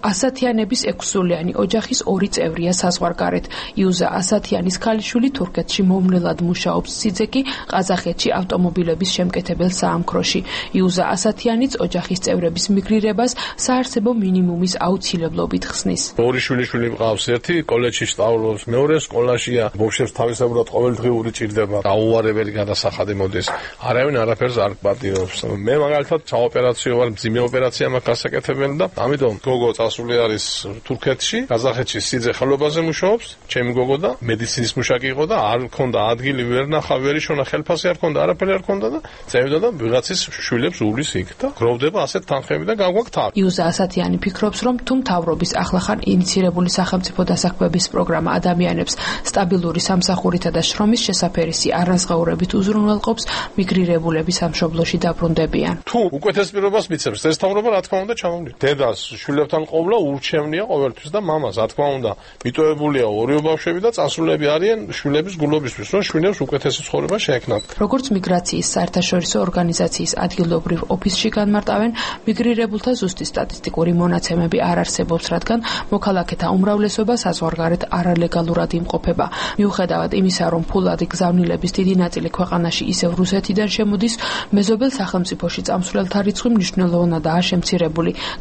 ასათიანების ექვსსულიანი ოჯახის ორი წევრია საზღვარგარეთ. იუზა ასათიანის ქალიშვილი თურქეთში მომვლელად მუშაობს, სიძე კი ყაზახეთში ავტომობილების შემკეთებელ საამქროში. იუზა ასათიანიც ოჯახის წევრების მიგრირებას საარსებო მინიმუმის აუცილებლობით ხსნის. ორი შვილიშვილი მყავს, ერთი კოლეჯში სწავლობს, მეორე სკოლაშია. ბავშვებს თავისებურად ყოველდღიური ჭირდება, დაუარებელი გადასახადი მოდის. არავინ არაფერს არ პატიობს. მე მაგალითად საოპერაციო ვარ, მძიმე ოპერაცია მაქვს გასაკეთებელი და ამიტომ გოგო წასული არის თურქეთში, ყაზახეთში სიძე ხელობაზე მუშაობს, ჩემი გოგო და მედიცინის მუშაკი იყო და არ მქონდა ადგილი, ვერ ნახა, ვერ იშონა, ხელფასი არ მქონდა, არაფერი არ მქონდა და წევიდა და ვიღაცის შვილებს უვლის იქ და გროვდება ასეთ თანხები და გაგვაქვს თავი. იუზა ასათიანი ფიქრობს, რომ თუ მთავრობის ახლახან ინიცირებული სახელმწიფო დასაქმების პროგრამა ადამიანებს სტაბილური სამსახურითა და შრომის შესაფერისი არანაზღაურებით უზრუნველყოფს, მიგრირებულები სამშობლოში დაბრუნდებიან. თუ უკეთეს პირობას მიცემს ეს მთავრობა, რა თქმა უნდა ჩამოვიდა. დედას შვილებთან ყოფნა ურჩევნია ყოველთვის და მამას, რა თქმა უნდა, მიტოვებულია ორი ბავშვები და წასულები არიან შვილების გულობისთვის, რომ შვილებს უკეთესი ცხოვრება შეექმნათ. როგორც მიგრაციის საერთაშორისო ორგანიზაციის ადგილობრივ ოფისში განმარტავენ, მიგრირებულთა ზუსტი სტატისტიკური მონაცემები არ არსებობს, რადგან მოქალაქეთა უმრავლესობა საზღვარგარეთ არალეგალურად იმყოფება. მიუხედავად იმისა, რომ ფულადი გზავნილების დიდი ნაწილი ქვეყანაში ისევ რუსეთიდან შემოდის, მეზობელ სახელმწიფოში წამსვლელთა რიცხვი მნიშვნელოვნადაა შემცირებული.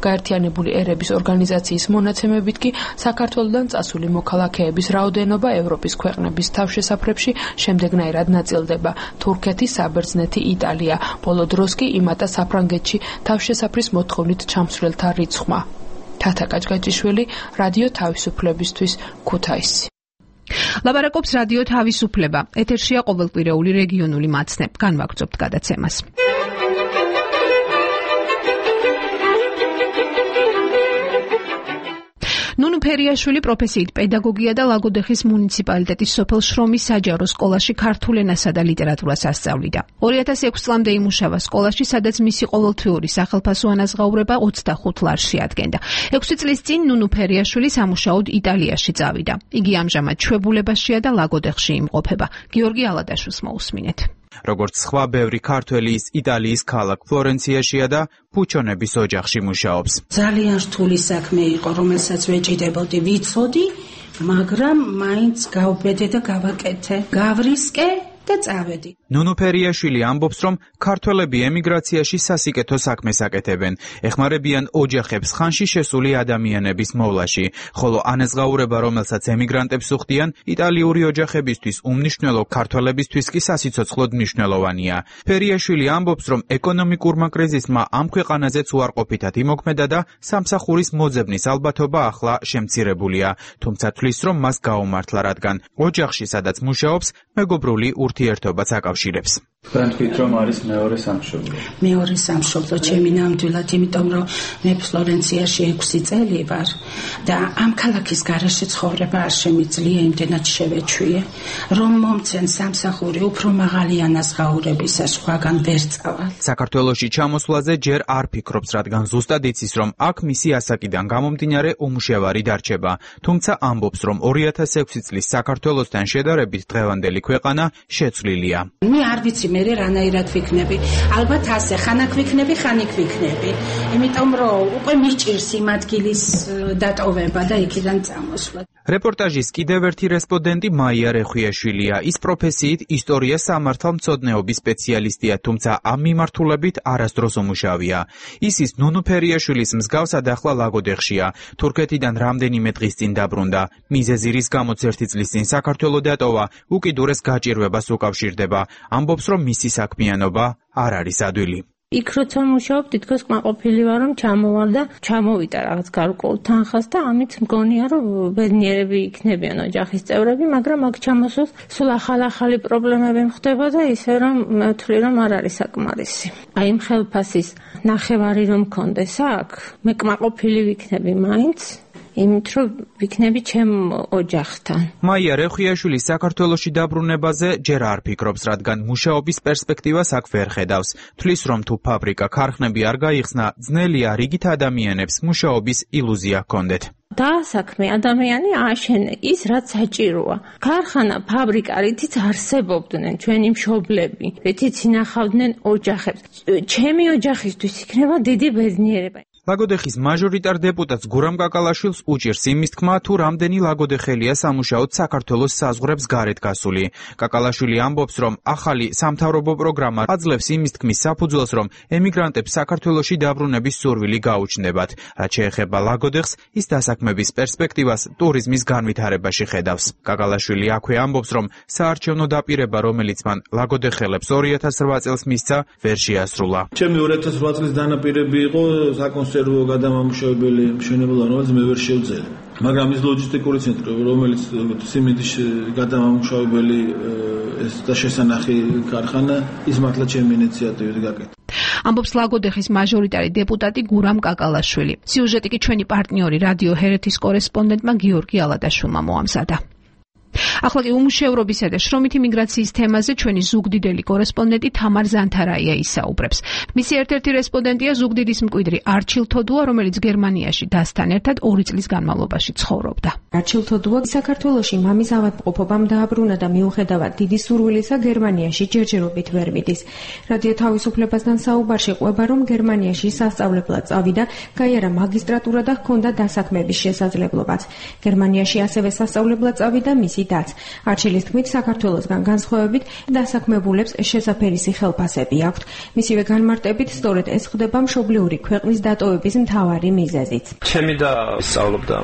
გაერთიანებული ერების ორგანიზაციის ორგანიზაციის მონაცემებით კი საქართველოდან წასული მოქალაქეების რაოდენობა ევროპის ქვეყნების თავშესაფრებში შემდეგნაირად ნაწილდება: თურქეთი, საბერძნეთი, იტალია. ბოლო დროს კი იმატა საფრანგეთში თავშესაფრის მოთხოვნით ჩამსვლელთა რიცხვმა. თათა კაჭკაჭიშვილი, რადიო თავისუფლებისთვის, ქუთაისი. ლაბარაკობს რადიო თავისუფლება. ეთერშია ყოველკვირეული რეგიონული მაცნე. განვაგრძობთ გადაცემას. ნუნუ ფერიაშვილი პროფესიით პედაგოგია და ლაგოდეხის მუნიციპალიტეტის სოფელ შრომის საჯარო სკოლაში ქართულ ენასა და ლიტერატურას ასწავლიდა. ორი ათას ექვსი წლამდე იმუშავა სკოლაში, სადაც მისი ყოველთვიური სახელფასო ანაზღაურება ოცდახუთ ლარში ადგენდა. ექვსი წლის წინ ნუნუ ფერიაშვილი სამუშაოდ იტალიაში წავიდა. იგი ამჟამად ჩვეულებაშია და ლაგოდეხში იმყოფება. გიორგი ალადაშვილს მოусმინეთ. როგორც სხვა ბევრი ქართველი ის იტალიის ქალაქ ფლორენციაშია და ფუჩონების ოჯახში მუშაობს. ძალიან რთული საქმე იყო, რომელსაც ვეჭიდებოდი, ვიცოდი, მაგრამ მაინც გავბედე და გავაკეთე. გავრისკე და წავედი. ნუნუ ფერიაშვილი ამბობს, რომ ქართველები ემიგრაციაში სასიკეთო საქმეს აკეთებენ, ეხმარებიან ოჯახებს ხანში შესული ადამიანების მოვლაში, ხოლო ანაზღაურება, რომელსაც ემიგრანტებს უხდიან, იტალიური ოჯახებისთვის უმნიშვნელო, ქართველებისთვის კი სასიცოცხლოდ მნიშვნელოვანია. ფერიაშვილი ამბობს, რომ ეკონომიკურმა კრიზისმა ამ ქვეყანაზეც უარყოფითად იმოქმედა და სამსახურის მოძებნის ალბათობა ახლა შემცირებულია, თუმცა თვლის, რომ მას გაუმართლა, რადგან ოჯახში, სადაც მუშაობს, მეგობრული ურთიერთობაც აკავშირებს. თქვენ თქვით, რომ არის მეორე სამშობლო. მეორე სამშობლო ჩემი ნამდვილად, იმიტომ რომ მე ფლორენციაში ექვსი წელი ვარ და ამ ქალაქის გარეშე ცხოვრება არ შემიძლია, იმდენად შევეჩვიე, რომ მომცენ სამსახური უფრო მაღალი ანაზღაურებისა სხვაგან ვერ წავალ. საქართველოში ჩამოსვლაზე ჯერ არ ფიქრობს, რადგან ზუსტად იცის, რომ აქ მისი ასაკიდან გამომდინარე უმუშევარი დარჩება, თუმცა ამბობს, რომ ორი ათას ექვსი წლის საქართველოსთან შედარებით დღევანდელი ქვეყანა შეცვლილია. მე არ ვიცი მე რანაირად ვიქნები. ალბათ ასე, ხანაკ ვიქნები, ხანიკ ვიქნები. იმიტომ რომ უკვე მიჭირს იმ ადგილის დატოვება და იქიდან წამოსვლა. რეპორტაჟის კიდევ ერთი რესპონდენტი მაია რეხვიაშვილია. ის პროფესიით ისტორია სამართალმცოდნეობის სპეციალისტია, თუმცა ამ მიმართულებით არასდროს უმუშავია. ის ის ნუნუ ფერიაშვილის მსგავსად ახლა ლაგოდეხშია. თურქეთიდან რამდენიმე დღის წინ დაბრუნდა. მიზეზი რის გამოც ერთი წლის წინ საქართველო დატოვა, უკიდურეს გაჭირვებას უკავშირდება. ამბობს, რომ მისი საქმიანობა არ არის ადვილი. იქ როცა მუშაობ, თითქოს კმაყოფილი ვარ, რომ ჩამოვარ და ჩამოვიდა რაღაც გარკვეულ თანხას და ამით მგონია, რომ ბედნიერები იქნებიან ოჯახის წევრები, მაგრამ აქ ჩამოსვლას სულ ახალ-ახალი პრობლემები ხდება და ისე რომ მე ვთვლი, რომ არ არის საკმარისი. აი იმ ხელფასის ნახევარი რომ მქონდეს აქ, მე კმაყოფილი ვიქნები მაინც. იმით რომ ვიქნები ჩემ ოჯახთან. მაია რეხვიაშვილის საქართველოში დაბრუნებაზე ჯერ არ ფიქრობს, რადგან მუშაობის პერსპექტივას აქ ვერ ხედავს. თვლის, რომ თუ ფაბრიკა, ქარხნები არ გაიხსნა, ძნელია რიგით ადამიანებს მუშაობის ილუზია ჰქონდეთ. დაასაქმე ადამიანი ააშენე ის, რაც საჭიროა. ქარხანა, ფაბრიკა, რითიც არსებობდნენ ჩვენი მშობლები, რითიც ინახავდნენ ოჯახებს. ჩემი ოჯახისთვის იქნება დიდი ბედნიერება. ლაგოდეხის მაჟორიტარ დეპუტატს გურამ კაკალაშვილს უჭირს იმის თქმა, თუ რამდენი ლაგოდეხელია სამუშაოდ საქართველოს საზღვრებს გარეთ გასული. კაკალაშვილი ამბობს, რომ ახალი სამთავრობო პროგრამა აძლევს იმის თქმის საფუძველს, რომ ემიგრანტებს საქართველოში დაბრუნების სურვილი გაუჩნდებათ. რაც შეეხება ლაგოდეხს, ის დასაქმების პერსპექტივას ტურიზმის განვითარებაში ხედავს. კაკალაშვილი აქვე ამბობს, რომ საარჩევნო დაპირება, რომელიც მან ლაგოდეხელებს ორი ათას რვა წელს მისცა, ვერ შეასრულა. ჩემი ორი ათას რვა წლის დანაპირები იყო საკონსერვო გადამამუშავებელი მშენებლობა, რომელიც მე ვერ შევძელე. მაგრამ ის ლოჯისტიკური ცენტრი, რომელიც სიმინდის გადამამუშავებელი ეს და შესანახი ქარხანა, ის მართლა ჩემი ინიციატივით გაკეთდა. ამბობს ლაგოდეხის მაჟორიტარი დეპუტატი გურამ კაკალაშვილი. სიუჟეტი კი ჩვენი პარტნიორი რადიო ჰერეთის კორესპონდენტმა გიორგი ალადაშვილმა მოამზადა. ახლა კი უმუშევრობისა და შრომითი მიგრაციის თემაზე ჩვენი ზუგდიდელი კორესპონდენტი თამარ ზანთარაია ისაუბრებს. მისი ერთ-ერთი რესპონდენტია ზუგდიდის მკვიდრი არჩილ თოდუა, რომელიც გერმანიაში დასთან ერთად ორი წლის განმავლობაში ცხოვრობდა. არჩილ თოდუა საქართველოში მამის ავადმყოფობამ დააბრუნა და მიუხედავად დიდი სურვილისა გერმანიაში ჯერჯერობით ვერ მიდის. რადიო თავისუფლებასთან საუბარში ყვება, რომ გერმანიაში სასწავლებლად წავიდა, გაიარა მაგისტრატურა და ჰქონდა დასაქმების შესაძლებლობაც. გერმანიაში ასევე სასწავლებლად წავიდა მისი დაც. არჩილის თქმით, საქართველოსგან განსხვავებით დასაქმებულებს შესაფერისი ხელფასები აქვთ. მისივე განმარტებით, სწორედ ეს ხდება მშობლიური ქვეყნის დატოვების მთავარი მიზეზიც. ჩემი და სწავლობდა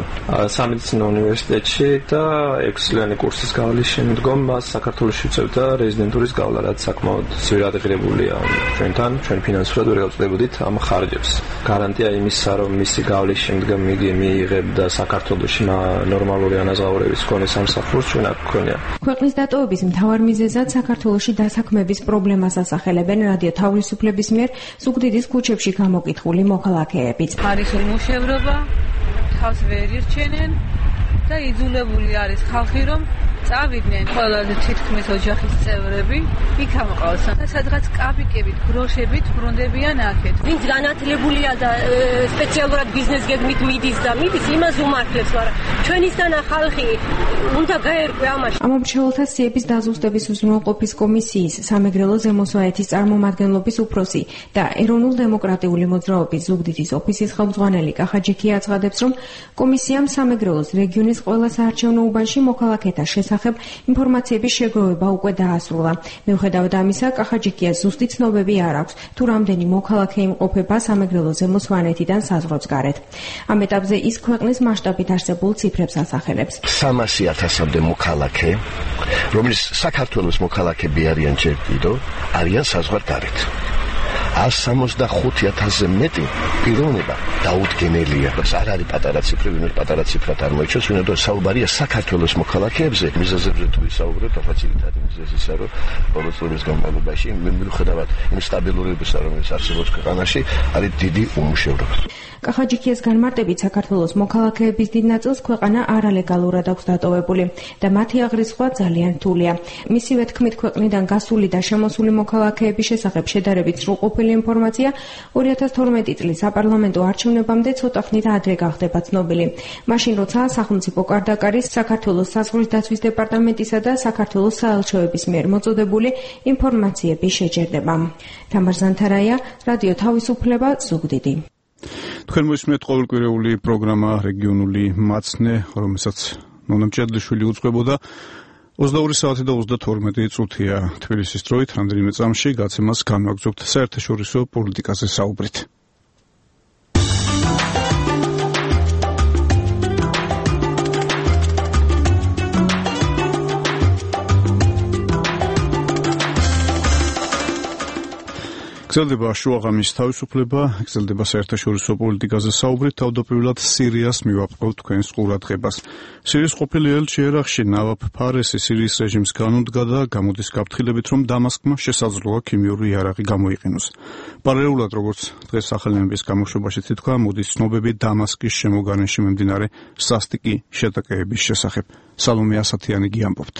სამედიცინო უნივერსიტეტში და ექვსწლიანი კურსის გავლის შემდგომ მას საქართველოში უწევდა რეზიდენტურის გავლა, რაც საკმაოდ ძვირადღირებულია ჩვენთან, ჩვენ ფინანსურად ვერ გავწევდით ამ ხარჯებს. გარანტია იმისა, რომ მისი გავლის შემდგომ იგი მიიღებდა საქართველოში ნორმალური ანაზღაურების მქონე სამსახურს, ჩვენ აქ გვქონია. ქვეყნის დატოვების მთავარ მიზეზად საქართველოში დასაქმების პრობლემას ასახელებენ რადიო თავისუფლების მიერ ზუგდიდის ქუჩებში გამოკითხული მოქალაქეებიც. არის ულმოშევრობა, თავს ვერ ირჩენენ და იძულებული არის ხალხი, რომ წავიდნენ ყველაზე თითქმის ოჯახის წევრები, იქ ამყავს და სადღაც კაპიკებით, გროშებით ბრუნდებიან აქეთ. ვინც განათლებულია და სპეციალურად ბიზნეს გეგმით მიდის და მიდის, იმას უმართლებს, მაგრამ ჩვენისთანა ხალხი უნდა გაერკვე ამაში. ამომრჩეველთა სიების დაზუსტების უზრუნველყოფის კომისიის სამეგრელო ზემოსვაეთის წარმომადგენლობის უფროსი და ეროვნულ-დემოკრატიული მოძრაობის ზუგდიდის ოფისის ხელმძღვანელი კახაჯიქია აცხადებს, რომ კომისიამ სამეგრელოს რეგიონის ყველა საარჩევნო უბანში მოქალაქეთა შესახებ ინფორმაციების შეგროვება უკვე დაასრულა. მიუხედავად ამისა, კახაჯიქიას ზუსტი ცნობები არ აქვს, თუ რამდენი მოქალაქე იმყოფება სამეგრელო ზემოსვანეთიდან საზღვრებს გარეთ. ამ ეტაპზე ის ქვეყნის მასშტაბით არსებულ ციფრებს ასახელებს. სამასი ათასამდე მოქალაქე, რომლის საქართველოს მოქალაქეები არიან ჯერ კიდევ, არიან საზღვარგარეთ. ას სამოცდახუთი ათასზე მეტი პიროვნება დაუდგენელია. არ არის პატარა ციფრი, ვინმე პატარა ციფრად არ მოიჩვენს, ვინმე საუბარია საქართველოს მოქალაქეებზე. მიზეზებზე თუ ვისაუბრებთ, ახლა ძირითადი მიზეზია, რომ ბოლო წლების განმავლობაში მიუხედავად იმ სტაბილურობისა, რომელიც არსებობს ქვეყანაში, არის დიდი უმუშევრობა. კახაჯიქიას განმარტებით, საქართველოს მოქალაქეების დიდ ნაწილს ქვეყანა არალეგალურად აქვს დატოვებული და მათი აღრიცხვა ძალიან რთულია. მისივე თქმით, ქვეყნიდან გასული და შემოსული მოქალაქეების შესახებ შედარებით სრულყოფილი ინფორმაცია ორი ათას თორმეტი წლის საპარლამენტო არჩევნებამდე ცოტა ხნით ადრე გახდება ცნობილი. მაშინ, როცა სახელმწიფო კარდაკარის, საქართველოს საზღვრის დაცვის დეპარტამენტისა და საქართველოს საელჩოების მიერ მოწოდებული ინფორმაციები შეჯერდება. თამარ ზანთარაია, რადიო თავისუფლება, ზუგდიდი. თქვენ მოსმენთ ყოველკვირეული პროგრამა რეგიონული მაცნე, რომელსაც ნონა მჭედლიშვილი უწყებოდა. ოცდაორი საათი და ოცდათორმეტი წუთია თბილისის დროით, რამდენიმე წამში გაცემას განვაგრძობთ საერთაშორისო პოლიტიკაზე საუბრით. გრძელდება შუაღამის თავისუფლება, გრძელდება საერთაშორისო პოლიტიკაზე საუბრით, თავდაპირველად სირიას მივაპყრობთ თქვენს ყურადღებას. სირიის ყოფილი ელჩი ერაყში ნავაფ ფარესი სირიის რეჟიმს განუდგა და გამოდის გაფრთხილებით, რომ დამასკმა შესაძლოა ქიმიური იარაღი გამოიყენოს. პარალელურად, როგორც დღეს სახელმწიფოს გამოშვებაში თითქვა, მოდის ცნობები დამასკის შემოგარენში მიმდინარე სასტიკი შეტაკებების შესახებ. სალომე ასათიანი გიამბობთ.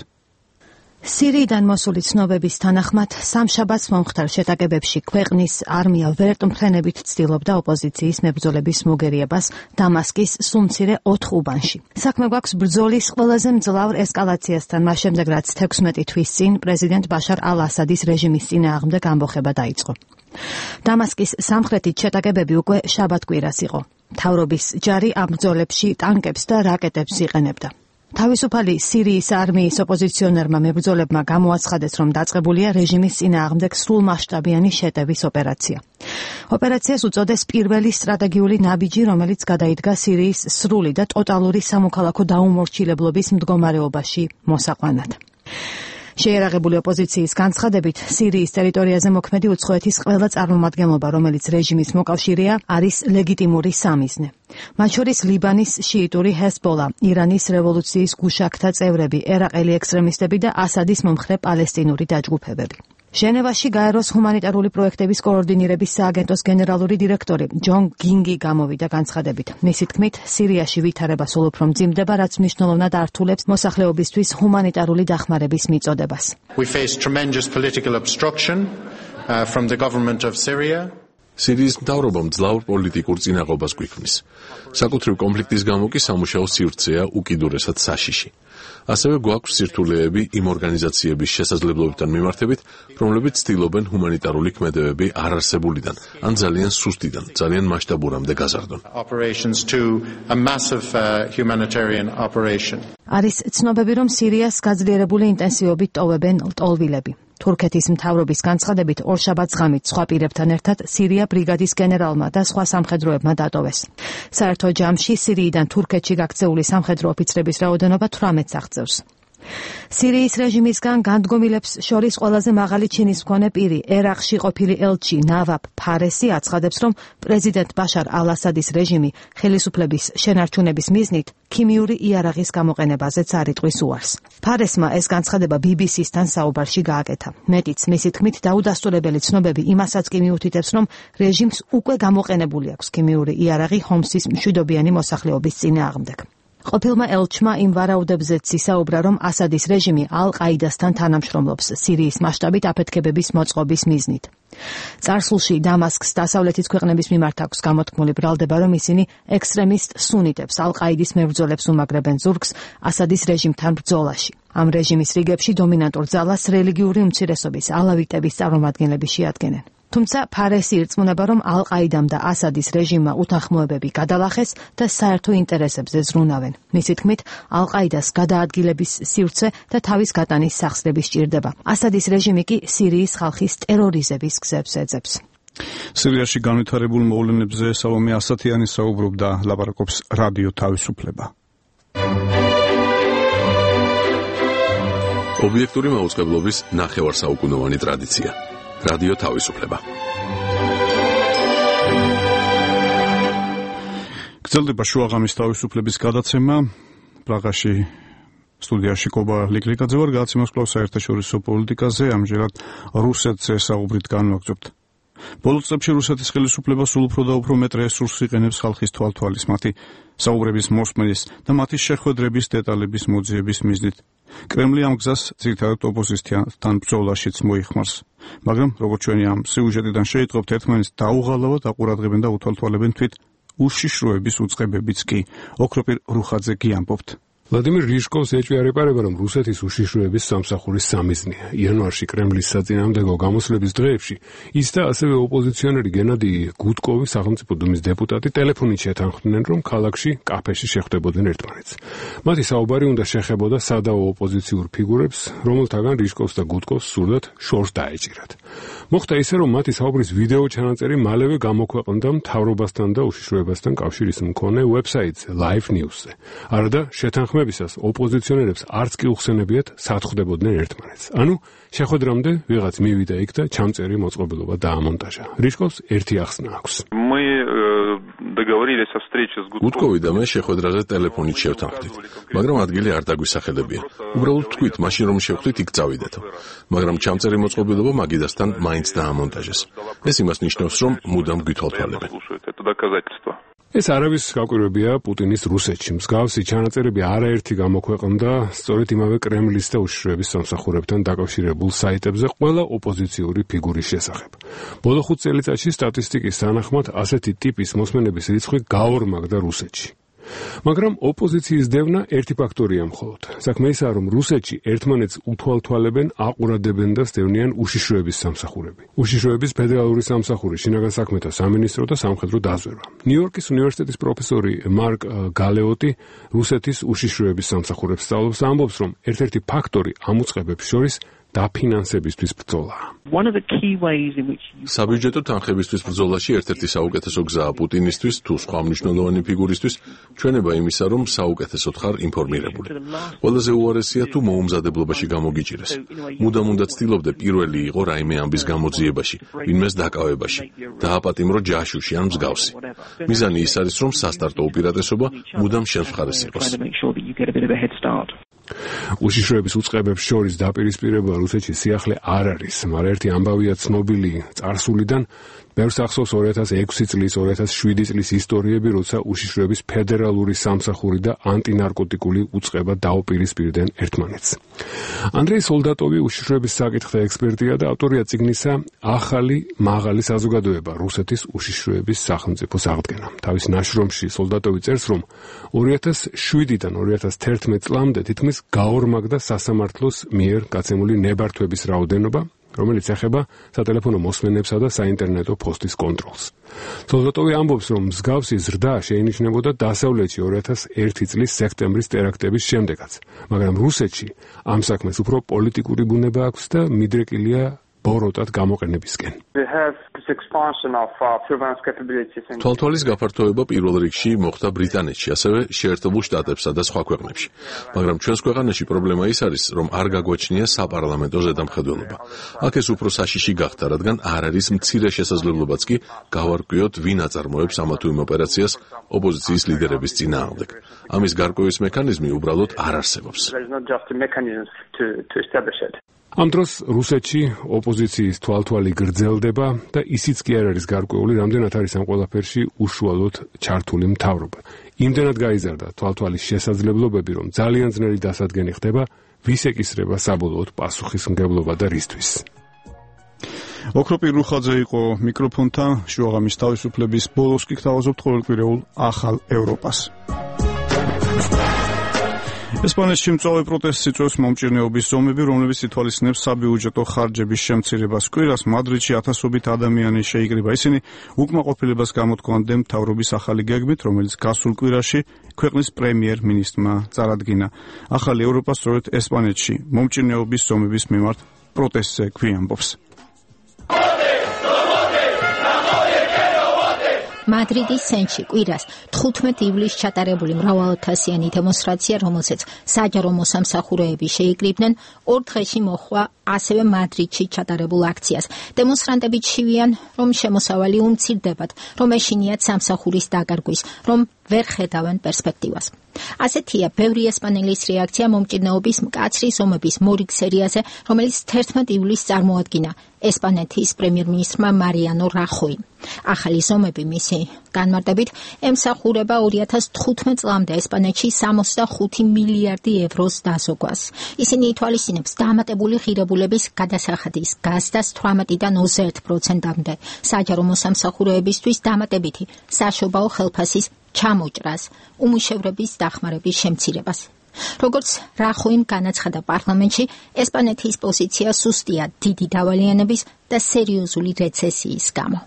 სირიიდან მოსული ცნობების თანახმად, სამშაბათს მომხდარ შეტაკებებში ქვეყნის არმია ვერტმფრენებით ცდილობდა ოპოზიციის მებრძოლების მოგერიებას დამასკის სუმცირე ოთხ უბანში. საქმე გვაქვს ბრძოლის ყველაზე მძლავრ ესკალაციასთან, მას შემდეგ რაც თექვსმეტი თვის წინ პრეზიდენტ ბაშარ ალ-ასადის რეჟიმის წინააღმდეგ ამბოხება დაიწყო. დამასკის სამხრეთით შეტაკებები უკვე შაბათკვირას იყო. მთავრობის ჯარი ამ ბრძოლებში ტანკებს და რაკეტებს იყენებდა. თავისუფალი სირიის არმიის ოპოზიციონერმა მებრძოლებმა გამოაცხადეს, რომ დაწყებულია რეჟიმის წინააღმდეგ სრულმასშტაბიანი შეტევის ოპერაცია. ოპერაციას უწოდეს პირველი სტრატეგიული ნაბიჯი, რომელიც გადაიდგა სირიის სრული და ტოტალური სამოქალაქო დაუმორჩილებლობის მდგომარეობაში მოსაყვანად. შეიარაღებული ოპოზიციის განცხადებით, სირიის ტერიტორიაზე მოქმედი უცხოეთის ყველა წარმომადგენლობა, რომელიც რეჟიმის მოკავშირეა, არის ლეგიტიმური სამიზნე. მათ შორის ლიბანის შიიტური ჰეზბოლა, ირანის რევოლუციის გუშაქთა წევრები, ერაყელი ექსტრემისტები და ასადის მომხრე პალესტინური დაჯგუფებები. ჟენევაში გაეროს ჰუმანიტარული პროექტების კოორდინირების სააგენტოს გენერალური დირექტორი ჯონ გინგი გამოვიდა განცხადებით. მისი თქმით, სირიაში ვითარება სულ უფრო მძიმდება, რაც მნიშვნელოვნად ართულებს მოსახლეობისთვის ჰუმანიტარული დახმარების მიწოდებას. We face tremendous political obstruction uh, from the government of Syria. სირიის მთავრობამ ძლავრ პოლიტიკურ წინაღობას გვიქმნის. საკუთრივ კონფლიქტის გამო კი სამუშაო სივრცეა უკიდურესად საშიში. ასევე გვაქვს სირთულეები იმ ორგანიზაციების შესაძლებლობებთან მიმართებით, რომლებიც ცდილობენ ჰუმანიტარული ქმედებები არარსებულიდან, ან ძალიან სუსტიდან, ძალიან მასშტაბურამდე გაზარდონ. არის ცნობები, რომ სირიას გაძლიერებული ინტენსივობით ტოვებენ ლტოლვილები. თურქეთის მთავრობის განცხადებით ორშაბათს ღამით სხვა პირებთან ერთად სირია ბრიგადის გენერალმა და სხვა სამხედროებმა დატოვეს. საერთო ჯამში სირიიდან თურქეთში გაქცეული სამხედრო ოფიცრების რაოდენობა თვრამეტს აღწევს. სირიის რეჟიმისგან განდგომილებს შორის ყველაზე მაღალი ჩინის მქონე პირი, ერაყში ყოფილი ელჩი ნავაფ ფარესი აცხადებს, რომ პრეზიდენტ ბაშარ ალ-ასადის რეჟიმი ხელისუფლების შენარჩუნების მიზნით ქიმიური იარაღის გამოყენებაზეც არ იტყვის უარს. ფარესმა ეს განცხადება ბი ბი სისთან საუბარში გააკეთა. მეტიც, მისი თქმით, დაუდასტურებელი ცნობები იმასაც კი მიუთითებს, რომ რეჟიმს უკვე გამოყენებული აქვს ქიმიური იარაღი ჰომსის მშვიდობიანი მოსახლეობის წინააღმდეგ. ყოფილმა ელჩმა იმ ვარაუდებზეც ისაუბრა, რომ ასადის რეჟიმი ალ-ყაიდასთან თანამშრომლობს სირიის მასშტაბით აფეთქებების მოწყობის მიზნით. წარსულში დამასკს დასავლეთის ქვეყნების მიმართ აქვს გამოთქმული ბრალდება, რომ ისინი ექსტრემისტ სუნიტებს ალ-ყაიდის მებრძოლებს უმაგრებენ ზურგს ასადის რეჟიმთან ბრძოლაში. ამ რეჟიმის რიგებში დომინანტურ ძალას რელიგიური უმცირესობის ალავიტების წარმომადგენლები შეადგენენ. თუმცა ფარესი ირწმუნება, რომ ალ-ყაიდამ და ასადის რეჟიმმა უთანხმოებები გადალახეს და საერთო ინტერესებზე ზრუნავენ. მისი თქმით, ალ-ყაიდას გადაადგილების სივრცე და თავის გატანის სახსრები სჭირდება. ასადის რეჟიმი კი სირიის ხალხის ტერორიზების გზებს ეძებს. სირიაში განვითარებულ მოვლენებზე სალომე ასათიანი საუბრობდა, ლაპარაკობს რადიო თავისუფლება. ობიექტური მაუწყებლობის ნახევარსაუკუნოვანი ტრადიცია. რადიო თავისუფლება. გრძელდება შუაღამის თავისუფლების გადაცემა. პრაღაში სტუდიაში კობა ლიკლიკაძე ვარ, გადაცემას კვლავ საერთაშორისო პოლიტიკაზე, ამჯერად რუსეთზე საუბრით განვაგრძობთ. ბოლო წლებში რუსეთის ხელისუფლება სულ უფრო და უფრო მეტ რესურსს იყენებს ხალხის თვალთვალის, მათი საუბრების მოსმენის და მათი შეხვედრების დეტალების მოძიების მიზნით. კრემლი ამ გზას ძირითადად ოპოზიციასთან ბრძოლაშიც მოიხმარს. მაგრამ როგორც ჩვენი ამ სიუჟეტიდან შეიტყობთ, ერთმანეთს დაუღალავად აყურადღებენ და უთვალთვალებენ თვით უშიშროების უწყებებიც კი. ოქროპირ რუხაძე გიამბობთ. ვლადიმირ რიშკოვს ეჭვიარება, რომ რუსეთის უშიშროების სამსახურის სამიზნეა. იანვარში კრემლის საწინააღმდეგო გამოსვლების დღეებში ის და ასევე ოპოზიციონერი გენადი გუდკოვი, სახელმწიფო დუმის დეპუტატი, ტელეფონით შეთანხმდნენ, რომ ქალაქში კაფეში შეხვდებოდნენ ერთმანეთს. მათი საუბარი უნდა შეხებოდა სადავო ოპოზიციურ ფიგურებს, რომელთაგან რიშკოვს და გუდკოვს სურდათ შორს დაეჭირათ. მოხდა ისე, რომ მათი საუბრის ვიდეო ჩანაწერი მალევე გამოქვეყნდა მთავრობასთან და უშიშროებასთან კავშირის მქონე ვებსაიტზე Live News-ზე. არადა შეთანხმებისას ოპოზიციონერებს არც კი უხსენებიათ სათხდებოდნენ ერთმანეთს. ანუ შეხვედრამდე ვიღაც მივიდა იქ და ჩამწერი მოწყობილობა დაამონტაჟა. რიშკოვს ერთი ახსნა აქვს. გუდკოვი და მე შეხვედრაზე ტელეფონით შევთანხმდით, მაგრამ ადგილი არ დაგვისახელებია. უბრალოდ თქვით, მაშინ რომ შევხვდით, იქ წავიდეთო. მაგრამ ჩამწერი მოწყობილობა მაგიდასთან მაინც დაამონტაჟეს. ეს იმას ნიშნავს, რომ მუდამ გვითვალთვალებენ. ეს არავის გაკვირვებია პუტინის რუსეთში. მსგავსი ჩანაწერები არაერთი გამოქვეყნდა სწორედ იმავე კრემლის და უშიშროების სამსახურებთან დაკავშირებულ საიტებზე ყველა ოპოზიციური ფიგურის შესახებ. ბოლო ხუთ წელიწადში სტატისტიკის თანახმად ასეთი ტიპის მოსმენების რიცხვი გაორმაგდა რუსეთში. მაგრამ ოპოზიციის დევნა ერთი ფაქტორია მხოლოდ. საქმე ისაა, რომ რუსეთში ერთმანეთს უთვალთვალებენ, აყურადებენ და სტევნიან უშიშროების სამსახურები. უშიშროების ფედერალური სამსახური, შინაგან საქმეთა სამინისტრო და სამხედრო დაზვერვა. ნიუ-იორკის უნივერსიტეტის პროფესორი მარკ გალეოტი რუსეთის უშიშროების სამსახურებს სწავლობს, ამბობს, რომ ერთ-ერთი ფაქტორი ამ უწყებებს შორის დაფინანსებისთვის ბრძოლაა. საბიუჯეტო თანხებისთვის ბრძოლაში ერთ-ერთი საუკეთესო გზაა პუტინისთვის თუ სხვა მნიშვნელოვანი ფიგურისთვის ჩვენება იმისა, რომ საუკეთესოდ ხარ ინფორმირებული. ყველაზე უარესია თუ მოუმზადებლობაში გამოგიჭირეს. მუდამ უნდა ცდილობდე პირველი იყო რაიმე ამბის გამოძიებაში, ვინმეს დაკავებაში, დააპატიმრო ჯაშუში ან მსგავსი. მიზანი ის არის, რომ სასტარტო უპირატესობა მუდამ შენს მხარეს იყოს. უშიშროების უწყებებს შორის დაპირისპირება რუსეთში სიახლე არ არის, მაგრამ ერთი ამბავია ცნობილი წარსულიდან, ბევრს ახსოვს ორი ათას ექვსი წლის, ორი ათას შვიდი წლის ისტორიები, როცა უშიშროების ფედერალური სამსახური და ანტინარკოტიკული უწყება დაუპირისპირდნენ ერთმანეთს. ანდრეი სოლდატოვი უშიშროების საკითხთა ექსპერტია და ავტორია წიგნისა ახალი მაღალი საზოგადოება რუსეთის უშიშროების სახელმწიფოს აღდგენა. თავის ნაშრომში სოლდატოვი წერს, რომ ორი ათას შვიდიდან ორი ათას თერთმეტ წლამდე თითქმის გაორმაგდა სასამართლოს მიერ გაცემული ნებართვების რაოდენობა, რომელიც ეხება სატელეფონო მოსმენებსა და საინტერნეტო ფოსტის კონტროლს. სოლდატოვი ამბობს, რომ მსგავსი ზრდა შეინიშნებოდა დასავლეთში ორი ათას ერთი წლის სექტემბრის ტერაქტების შემდეგაც, მაგრამ რუსეთში ამ საქმეს უფრო პოლიტიკური ბუნება აქვს და მიდრეკილია ბოროტად გამოყენებისკენ. თვალთვალის გაფართოება პირველ რიგში მოხდა ბრიტანეთში, ასევე შეერთებულ შტატებსა და სხვა ქვეყნებში. მაგრამ ჩვენს ქვეყანაში პრობლემა ის არის, რომ არ გაგვაჩნია საპარლამენტო ზედამხედველობა. აქ ეს უფრო საშიში გახდა, რადგან არ არის მცირე შესაძლებლობაც კი გავარკვიოთ, ვინ აწარმოებს ამა თუ იმ ოპერაციას ოპოზიციის ლიდერების წინააღმდეგ. ამის გარკვევის მექანიზმი უბრალოდ არ არსებობს. ამ დროს რუსეთში ოპოზიციის თვალთვალი გრძელდება და ისიც კი არ არის გარკვეული, რამდენად არის ამ ყველაფერში უშუალოდ ჩართული მთავრობა. იმდენად გაიზარდა თვალთვალის შესაძლებლობები, რომ ძალიან ძნელი დასადგენი ხდება, ვის ეკისრება საბოლოოდ პასუხისმგებლობა და რისთვის. ოქროპირ რუხაძე იყო მიკროფონთან, შუაღამის თავისუფლების ბოლოს კი გთავაზობთ ყოველკვირეულ ახალ ევროპას. ესპანეთში მწვავე პროტესტს იწვევს მომჭირნეობის ზომები, რომლებიც ითვალისწინებს საბიუჯეტო ხარჯების შემცირებას. კვირას მადრიდში ათასობით ადამიანი შეიკრიბა. ისინი უკმაყოფილებას გამოთქვამდნენ მთავრობის ახალი გეგმით, რომელიც გასულ კვირაში ქვეყნის პრემიერ-მინისტრმა წარადგინა. ახალი ევროპა სწორედ ესპანეთში მომჭირნეობის ზომების მიმართ პროტესტზე გვიამბობს. მადრიდის სენში კვირას თხუთმეტ ივლისს ჩატარებული მრავალათასიანი დემონსტრაცია, რომელსაც საჯარო მოსამსახურეები შეიკრიბნენ, ორ დღეში მოჰყვა ასევე მადრიდში ჩატარებულ აქციას. დემონსტრანტები ჩივიან, რომ შემოსავალი უმცირდებათ, რომ ეშინიათ სამსახურის დაკარგვის, რომ ვერ ხედავენ პერსპექტივას. ასეთია ბევრი ესპანელის რეაქცია მომჭირნეობის მკაცრი ზომების მორიგ სერიაზე, რომელიც თერთმეტ ივლისს წარმოადგინა ესპანეთის პრემიერ-მინისტრმა მარიანო რახოიმ. ახალი ზომები მისი განმარტებით ემსახურება ორი ათას თხუთმეტ წლამდე ესპანეთში სამოცდახუთი მილიარდი ევროს დაზოგვას. ისინი ითვალისწინებს დამატებული ღირებულების გადასახადის გაზდას თვრამეტიდან ოცდაერთ პროცენტამდე, საჯარო მოსამსახურეებისთვის დამატებითი საშობაო ხელფასის ჩამოჭრას, უმუშევრობის დახმარების შემცირებას. როგორც რახოიმ განაცხადა პარლამენტში, ესპანეთის პოზიცია სუსტია დიდი დავალიანების და სერიოზული რეცესიის გამო.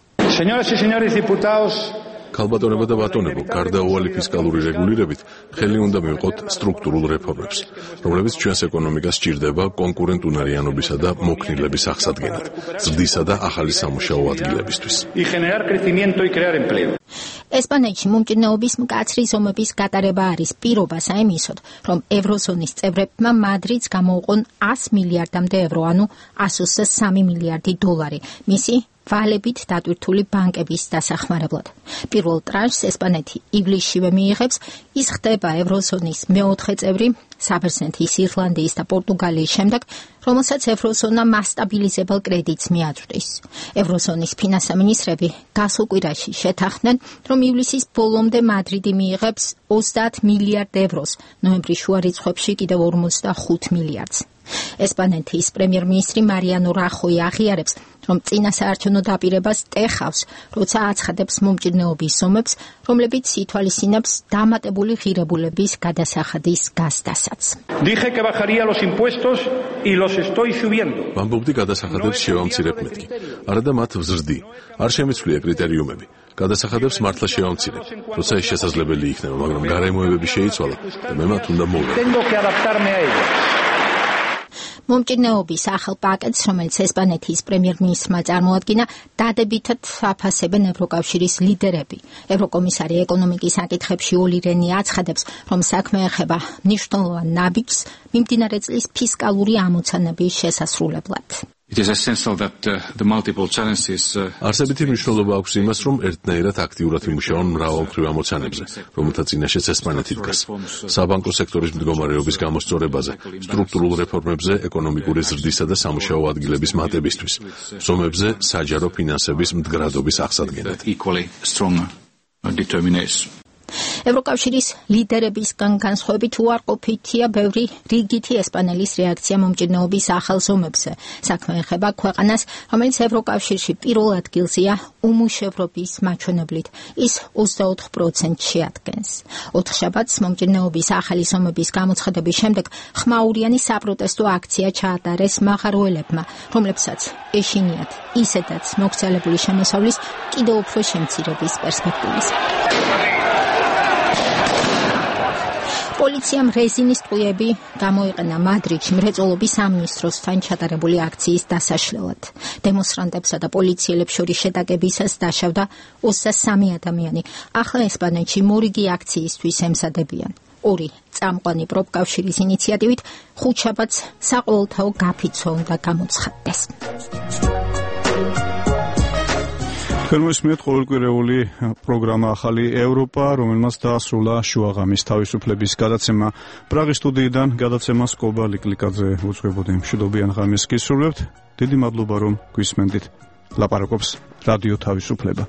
ქალბატონებო და ბატონებო, გარდაუვალი ფისკალური რეგულირებით ხელი უნდა მივყოთ სტრუქტურულ რეფორმებს, რომლებიც ჩვენს ეკონომიკას სჭირდება კონკურენტუნარიანობისა და მოქნილების აღსადგენად, ზრდისა და ახალი სამუშაო ადგილებისთვის. ესპანეთში მომჭირნეობის მკაცრი ზომების გატარება არის პირობა საიმისოდ, რომ ევროზონის წევრებმა მადრიდს გამოუყონ ას მილიარდამდე ევრო, ანუ ას ოცდასამი მილიარდი დოლარი, მისი ვალებით დატვირთული ბანკების დასახმარებლად. პირველ ტრანშს ესპანეთი ივლისშივე მიიღებს, ის ხდება ევროზონის მეოთხე წევრი, საბერძნეთის, ირლანდიის და პორტუგალიის შემდეგ, რომელსაც ევროზონა მასტაბილიზებელ კრედიტს მიაწვდის. ევროზონის ფინანსთა მინისტრები გასულ კვირაში შეთანხმდნენ, რომ ივლისის ბოლომდე მადრიდი მიიღებს ოცდაათ მილიარდ ევროს, ნოემბრის შუა რიცხვებში კიდევ ორმოცდახუთ მილიარდს. ესპანეთის პრემიერ-მინისტრი მარიანო რახოი აღიარებს, რომ წინა საარჩევნო დაპირებას ტეხავს, როცა აცხადებს მომჭირნეობის ზომებს, რომლებიც ითვალისწინებს დამატებული ღირებულების გადასახადის გაზდასაც. ვამბობდი გადასახადებს შევამცირებ მეთქი. არა და მათ ვზრდი. არ შემიცვლია კრიტერიუმები. გადასახადებს მართლა შევამცირებ, როცა ეს შესაძლებელი იქნება, მაგრამ გარემოებები შეიცვალა და მე მათ უნდა მოვიდე. მომჭირნეობის ახალ პაკეტს, რომელიც ესპანეთის პრემიერ-მინისტრმა წარმოადგინა, დადებითად აფასებენ ევროკავშირის ლიდერები. ევროკომისარი ეკონომიკის საკითხებში ოლი რენი აცხადებს, რომ საქმე ეხება მნიშვნელოვან ნაბიჯს მიმდინარე წლის ფისკალური ამოცანების შესასრულებლად. არსებითი მნიშვნელობა აქვს იმას, რომ ერთნაირად აქტიურად იმუშაონ მრავალმხრივ ამოცანებზე, რომელთა წინაშეც ესპანეთი დგას. საბანკო სექტორის მდგომარეობის გამოსწორებაზე, სტრუქტურულ რეფორმებზე, ეკონომიკური ზრდისა და სამუშაო ადგილების მატებისთვის, ზომებზე საჯარო ფინანსების მდგრადობის აღსადგენად. ევროკავშირის ლიდერებისგან განსხვავებით უარყოფითია ბევრი რიგითი ესპანელის რეაქცია მომჭირნეობის ახალ ზომებზე. საქმე ეხება ქვეყანას, რომელიც ევროკავშირში პირველ ადგილზეა უმუშევრობის მაჩვენებლით. ის ოცდაოთხ პროცენტს შეადგენს. ოთხშაბათს მომჭირნეობის ახალი ზომების გამოცხადების შემდეგ ხმაურიანი საპროტესტო აქცია ჩაატარეს მაღაროელებმა, რომლებსაც ეშინიათ ისედაც მოგზაურებული შემოსავლის კიდევ უფრო შემცირების პერსპექტივის. პოლიციამ რეზინის ტყუები გამოიყენა მადრიდში მრეწველობის სამინისტროსთან ჩატარებული აქციის დასაშლელად. დემონსტრანტებსა და პოლიციელებს შორის შეტაკებისას დაშავდა ოცდასამი ადამიანი. ახლა ესპანეთში მორიგი აქციისთვის ემზადებიან. ორი წამყვანი პროფკავშირის ინიციატივით ხუთშაბათს საყოველთაო გაფიცვა უნდა გამოცხადდეს. თორმეტ ყოველკვირეული პროგრამა ახალი ევროპა, რომელმაც დაასრულა შუაღამის თავისუფლების გადაცემა. პრაღის სტუდიიდან გადაცემას კობა ლიკლიკაძე უძღვებოდი. მშვიდობიან ღამეს გისურვებთ. დიდი მადლობა რომ გვისმენდით. ლაპარაკობს რადიო თავისუფლება.